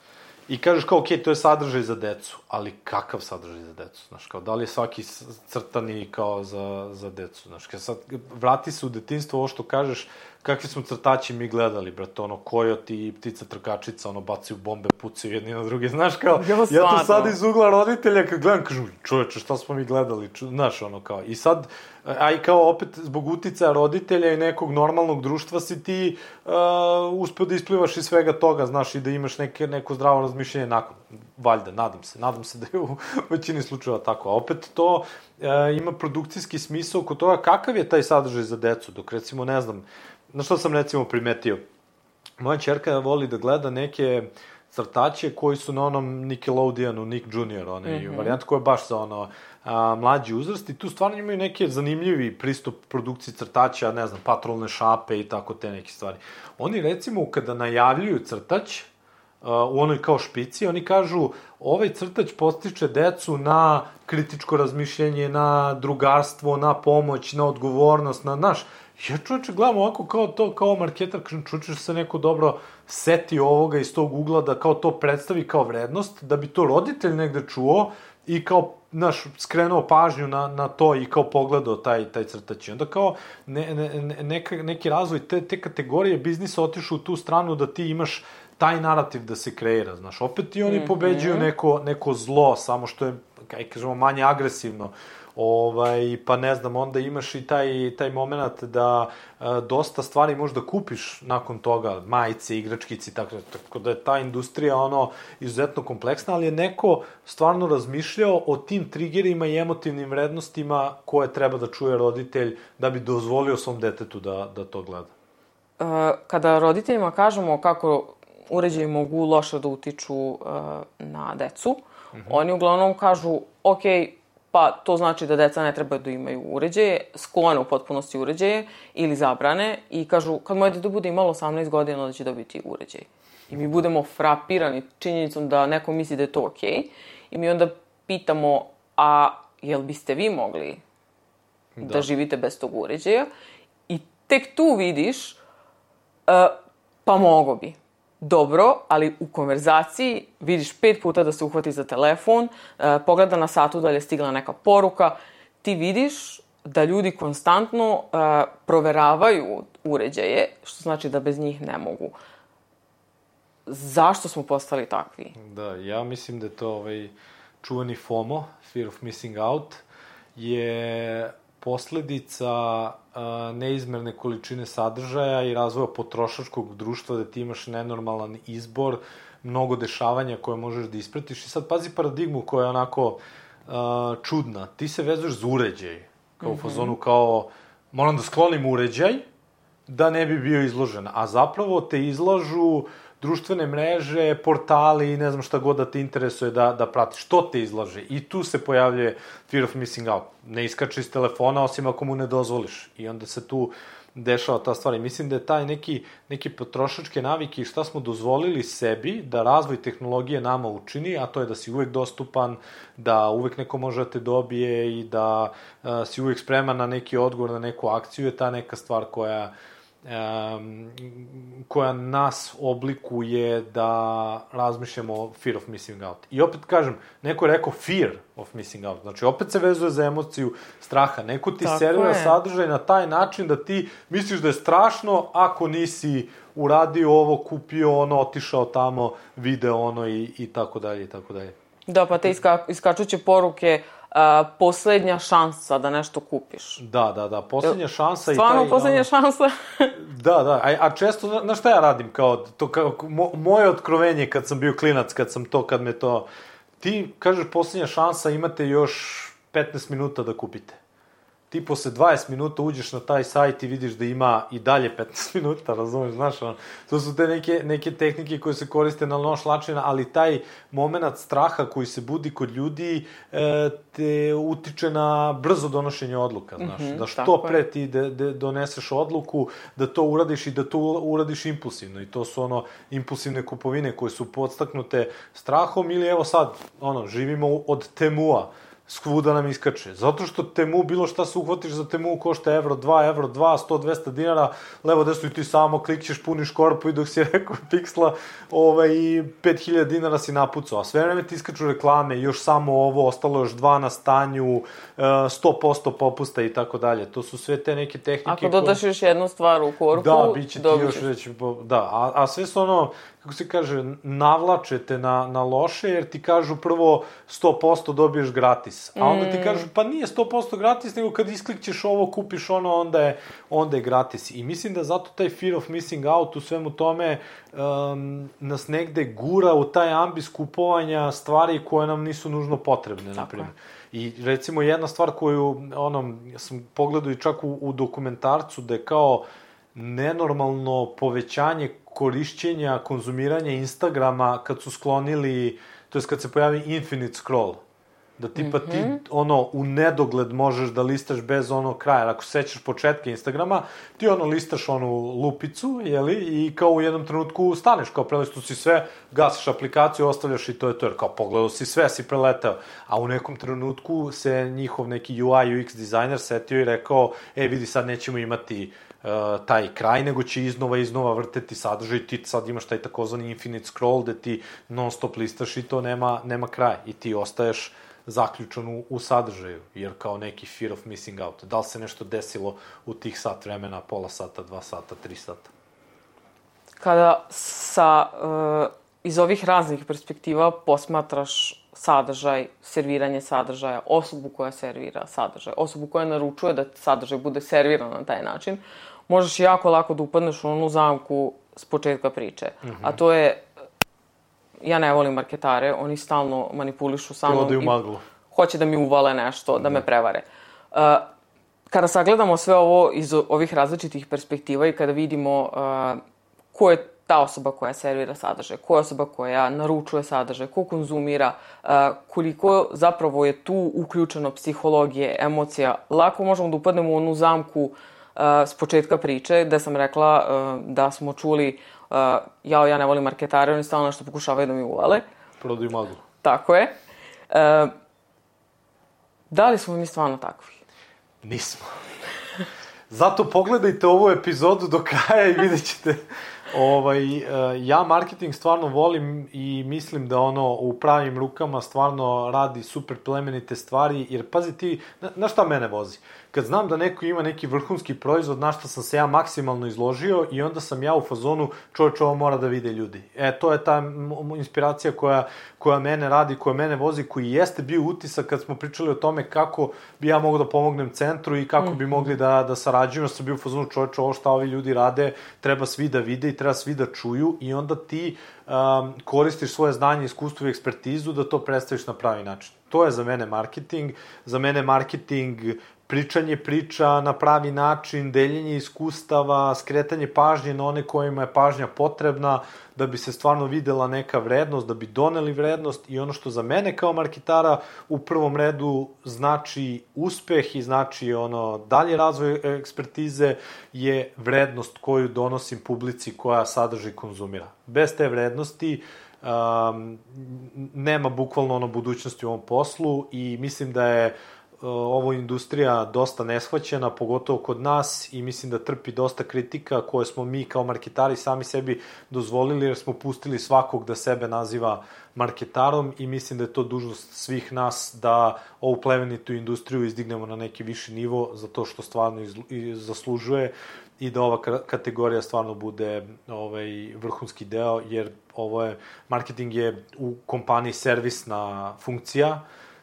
i kažeš kao, okej, okay, to je sadržaj za decu, ali kakav sadržaj za decu? Znaš, kao, da li je svaki crtani kao za, za decu? Znaš, kao sad, vrati se u detinjstvo, ovo što kažeš, kakvi smo crtači mi gledali, brate, ono, Kojoti i Ptica trkačica, ono, bacaju bombe, pucaju jedni na druge, znaš, kao, jo, ja to sad iz ugla roditelja, kad gledam, kažu, čoveče, šta smo mi gledali, Ču, znaš, ono, kao, i sad, a i kao, opet, zbog uticaja roditelja i nekog normalnog društva si ti uh, uspeo da isplivaš iz svega toga, znaš, i da imaš neke, neko zdravo razmišljenje nakon, valjda, nadam se, nadam se da je u većini slučajeva tako, a opet to uh, ima produkcijski smisao oko toga kakav je taj sadržaj za decu, dok, recimo, ne znam, na što sam recimo primetio? Moja ćerka voli da gleda neke crtače koji su na onom Nickelodeonu, Nick junior, onaj mm-hmm. varijant koja je baš za ono a, mlađi uzrast i tu stvarno imaju neke zanimljivi pristup produkciji crtača, ne znam, patrolne šape i tako te neke stvari. Oni recimo kada najavljuju crtač, u onoj kao špici, oni kažu ovaj crtač postiče decu na kritičko razmišljenje, na drugarstvo, na pomoć, na odgovornost, na naš. Ja čovječe gledam ovako kao to, kao marketar, kažem čovječe se neko dobro seti ovoga iz tog ugla da kao to predstavi kao vrednost, da bi to roditelj negde čuo i kao, znaš, skrenuo pažnju na, na to i kao pogledao taj, taj crtač. I onda kao ne, ne, neka, neki razvoj te, te kategorije biznisa otišu u tu stranu da ti imaš taj narativ da se kreira, znaš. Opet i oni mm-hmm. pobeđuju neko, neko zlo, samo što je, kaj kažemo, manje agresivno. Ovaj, pa ne znam, onda imaš i taj, taj moment da e, dosta stvari možda kupiš nakon toga, majice, igračkici, tako, tako da je ta industrija ono izuzetno kompleksna, ali je neko stvarno razmišljao o tim triggerima i emotivnim vrednostima koje treba da čuje roditelj da bi dozvolio svom detetu da, da to gleda. E, kada roditeljima kažemo kako uređaji mogu loše da utiču uh, na decu, mm-hmm. oni uglavnom kažu, ok, pa to znači da deca ne trebaju da imaju uređaje, sklone u potpunosti uređaje ili zabrane i kažu, kad moje dete bude imalo osamnaest godina, onda će dobiti uređaj. I mi budemo frapirani činjenicom da neko misli da je to ok i mi onda pitamo, a jel biste vi mogli da, da živite bez tog uređaja? I tek tu vidiš, uh, pa mogo bi. Dobro, ali u konverzaciji vidiš pet puta da se uhvati za telefon, eh, pogleda na satu da li je stigla neka poruka, ti vidiš da ljudi konstantno eh, proveravaju uređaje, što znači da bez njih ne mogu. Zašto smo postali takvi? Da, ja mislim da je to ovaj čuveni FOMO, Fear of Missing Out, je posledica a, neizmerne količine sadržaja i razvoja potrošačkog društva da ti imaš nenormalan izbor, mnogo dešavanja koje možeš da ispratiš. I sad pazi paradigmu koja je onako a, čudna. Ti se vezuješ za uređaj, kao mm-hmm. u fazonu kao moram da sklonim uređaj da ne bi bio izložen. A zapravo te izlažu društvene mreže, portali i ne znam šta god da te interesuje da, da pratiš. Što te izlaže? I tu se pojavljuje fear of missing out. Ne iskače iz telefona osim ako mu ne dozvoliš. I onda se tu dešava ta stvar. I mislim da je taj neki, neki potrošačke navike i šta smo dozvolili sebi da razvoj tehnologije nama učini, a to je da si uvek dostupan, da uvek neko može da te dobije i da uh, si uvek spreman na neki odgovor, na neku akciju, je ta neka stvar koja um, koja nas oblikuje da razmišljamo o fear of missing out. I opet kažem, neko je rekao fear of missing out, znači opet se vezuje za emociju straha. Neko ti servira sadržaj na taj način da ti misliš da je strašno ako nisi uradio ovo, kupio ono, otišao tamo, video ono i, i tako dalje i tako dalje. Da, pa te iska, iskačuće poruke a, poslednja šansa da nešto kupiš. Da, da, da, poslednja šansa. Stvarno i taj, poslednja ono, šansa? Da, da, a, a često, znaš šta ja radim, kao, to, kao mo, moje otkrovenje kad sam bio klinac, kad sam to, kad me to, ti kažeš poslednja šansa, imate još petnaest minuta da kupite. Ti posle dvadeset minuta uđeš na taj sajt i vidiš da ima i dalje petnaest minuta, razumeš, znaš, on, to su te neke, neke tehnike koje se koriste na noš način, ali taj moment straha koji se budi kod ljudi e, te utiče na brzo donošenje odluka, znaš, mm-hmm, da što pre ti de, de doneseš odluku, da to uradiš i da to uradiš impulsivno, i to su ono impulsivne kupovine koje su podstaknute strahom, ili evo sad, ono, živimo od Temua, svuda nam iskače. Zato što Temu, bilo šta se uhvatiš za Temu, košta evro dva, evro dva, sto, dvesta dinara, levo desno i ti samo klikćeš, puniš korpu i dok si rekao piksla, ovaj, i pet hiljada dinara si napucao. A sve vreme ti iskaču reklame, još samo ovo, ostalo još dva na stanju, sto posto popusta i tako dalje. To su sve te neke tehnike. Ako dodaš koje... još jednu stvar u korpu, da, bit će ti još već, da, a, a sve su ono, kako se kaže, navlačete na, na loše, jer ti kažu prvo sto posto dobiješ gratis. A onda ti kažu, pa nije sto posto gratis, nego kad isklikćeš ovo, kupiš ono, onda je, onda je gratis. I mislim da zato taj fear of missing out u svemu tome um, nas negde gura u taj ambis kupovanja stvari koje nam nisu nužno potrebne, na primjer. I recimo jedna stvar koju, ono, sam pogledao i čak u, u dokumentarcu, da je kao nenormalno povećanje korišćenja, konzumiranja Instagrama kad su sklonili, to jest kad se pojavi infinite scroll. Da tipa mm-hmm. ti, ono, u nedogled možeš da listaš bez ono kraja. Ako sećaš početka Instagrama, ti ono listaš onu lupicu, jeli, i kao u jednom trenutku staneš, kao prelistu si sve, gasiš aplikaciju, ostavljaš i to je to, jer kao pogledao si sve, si preletao. A u nekom trenutku se njihov neki U I, U X dizajner setio i rekao, e, vidi, sad nećemo imati Uh, taj kraj, nego će iznova iznova vrteti sadržaj, ti sad imaš taj takozvani infinite scroll gde ti non stop listaš i to nema, nema kraj i ti ostaješ zaključan u, u sadržaju, jer kao neki fear of missing out. Da li se nešto desilo u tih sat vremena, pola sata, dva sata, tri sata? Kada sa, uh, iz ovih raznih perspektiva posmatraš sadržaj, serviranje sadržaja, osobu koja servira sadržaj, osobu koja naručuje da sadržaj bude serviran na taj način, možeš jako lako da upadneš u onu zamku s početka priče. Mm-hmm. A to je, ja ne volim marketare, oni stalno manipulišu sa mnom i hoće da mi uvale nešto, da me prevare. Uh, kada sagledamo sve ovo iz ovih različitih perspektiva i kada vidimo uh, ko je ta osoba koja servira sadržaj, koja je osoba koja naručuje sadržaj, ko konzumira, uh, koliko zapravo je tu uključeno psihologije, emocija, lako možemo da upadnemo u onu zamku uh, s početka priče, gde sam rekla uh, da smo čuli uh, jao, ja ne volim marketare, oni stalno nešto pokušavaju da mi uvale. Prodaju maglu. Tako je. Uh, da li smo mi stvarno takvi? Nismo. Zato pogledajte ovu epizodu do kraja i vidjet ćete. Ovaj, ja marketing stvarno volim i mislim da ono u pravim rukama stvarno radi super plemenite stvari, jer pazi ti, na, na šta mene vozi? Kad znam da neko ima neki vrhunski proizvod, na šta sam se ja maksimalno izložio i onda sam ja u fazonu, čovječ, ovo mora da vide ljudi. E, to je ta inspiracija koja, koja mene radi, koja mene vozi, koji jeste bio utisak kad smo pričali o tome kako bi ja mogao da pomognem centru i kako mm. bi mogli da, da sarađujem, sam bio u fazonu, čovječ, ovo šta ovi ljudi rade, treba svi da vide i treba svi da čuju, i onda ti um, koristiš svoje znanje, iskustvo i ekspertizu da to predstaviš na pravi način. To je za mene marketing. Za mene marketing pričanje priča na pravi način, deljenje iskustava, skretanje pažnje na one kojima je pažnja potrebna da bi se stvarno videla neka vrednost, da bi doneli vrednost, i ono što za mene kao marketara u prvom redu znači uspeh i znači ono dalje razvoj ekspertize je vrednost koju donosim publici koja sadržaj konzumira. Bez te vrednosti um, nema bukvalno ono budućnosti u ovom poslu, i mislim da je ovo industrija dosta neshvaćena, pogotovo kod nas, i mislim da trpi dosta kritika koje smo mi kao marketari sami sebi dozvolili, jer smo pustili svakog da sebe naziva marketarom, i mislim da je to dužnost svih nas da ovu plemenitu industriju izdignemo na neki viši nivo, zato što stvarno zaslužuje, i da ova kategorija stvarno bude ovaj, vrhunski deo, jer ovo je, marketing je u kompaniji servisna funkcija,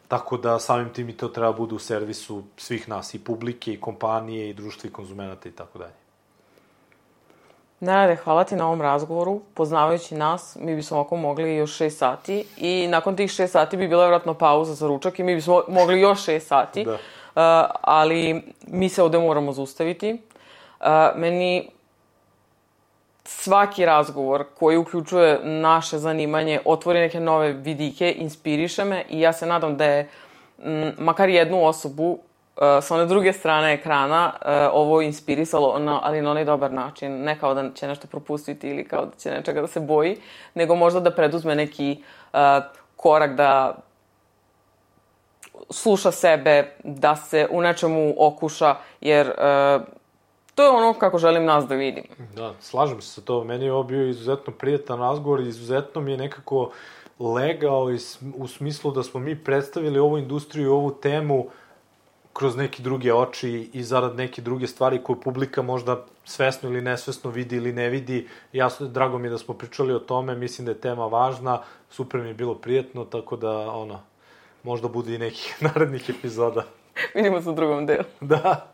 tako da samim tim i to treba bude u servisu svih nas, i publike, i kompanije, i društva, i konzumenata, i tako dalje. Nenade, hvala ti na ovom razgovoru. Poznavajući nas, mi bismo ovako mogli još šest sati, i nakon tih šest sati bi bila vjerojatno pauza za ručak i mi bismo mogli još šest sati, da. Uh, ali mi se ovde moramo zaustaviti. Uh, meni svaki razgovor koji uključuje naše zanimanje otvori neke nove vidike, inspiriše me, i ja se nadam da je m, makar jednu osobu uh, sa one druge strane ekrana uh, ovo inspirisalo, na, ali na onaj dobar način. Ne kao da će nešto propustiti ili kao da će nečega da se boji, nego možda da preduzme neki uh, korak, da sluša sebe, da se u nečemu okuša, jer uh, to je ono kako želim nas da vidim. Da, slažem se sa to. Meni je ovo bio izuzetno prijatan razgovor, izuzetno mi je nekako legao u smislu da smo mi predstavili ovu industriju i ovu temu kroz neke druge oči i zarad neke druge stvari koje publika možda svesno ili nesvesno vidi ili ne vidi. Jasno, drago mi je da smo pričali o tome, mislim da je tema važna, super mi je bilo prijatno, tako da, ono, možda bude i nekih narednih epizoda. Vidimo se u drugom delu. Da.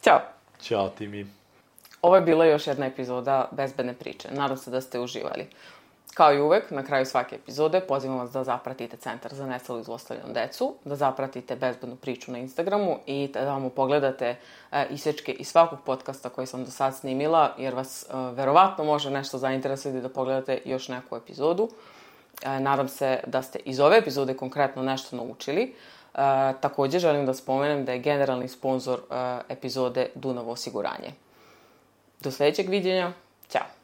Ćao. Ćao ti mi. Ovo je bila još jedna epizoda Bezbedne priče. Nadam se da ste uživali. Kao i uvek, na kraju svake epizode pozivam vas da zapratite Centar za nestalu i zlostavljanu decu, da zapratite Bezbednu priču na Instagramu i da vam pogledate e, isečke iz svakog podcasta koji sam do sad snimila, jer vas e, verovatno može nešto zainteresovati da pogledate još neku epizodu. E, nadam se da ste iz ove epizode konkretno nešto naučili. E, također želim da spomenem da je generalni sponsor e, epizode Dunav osiguranje. Do sljedećeg viđenja. Ćao!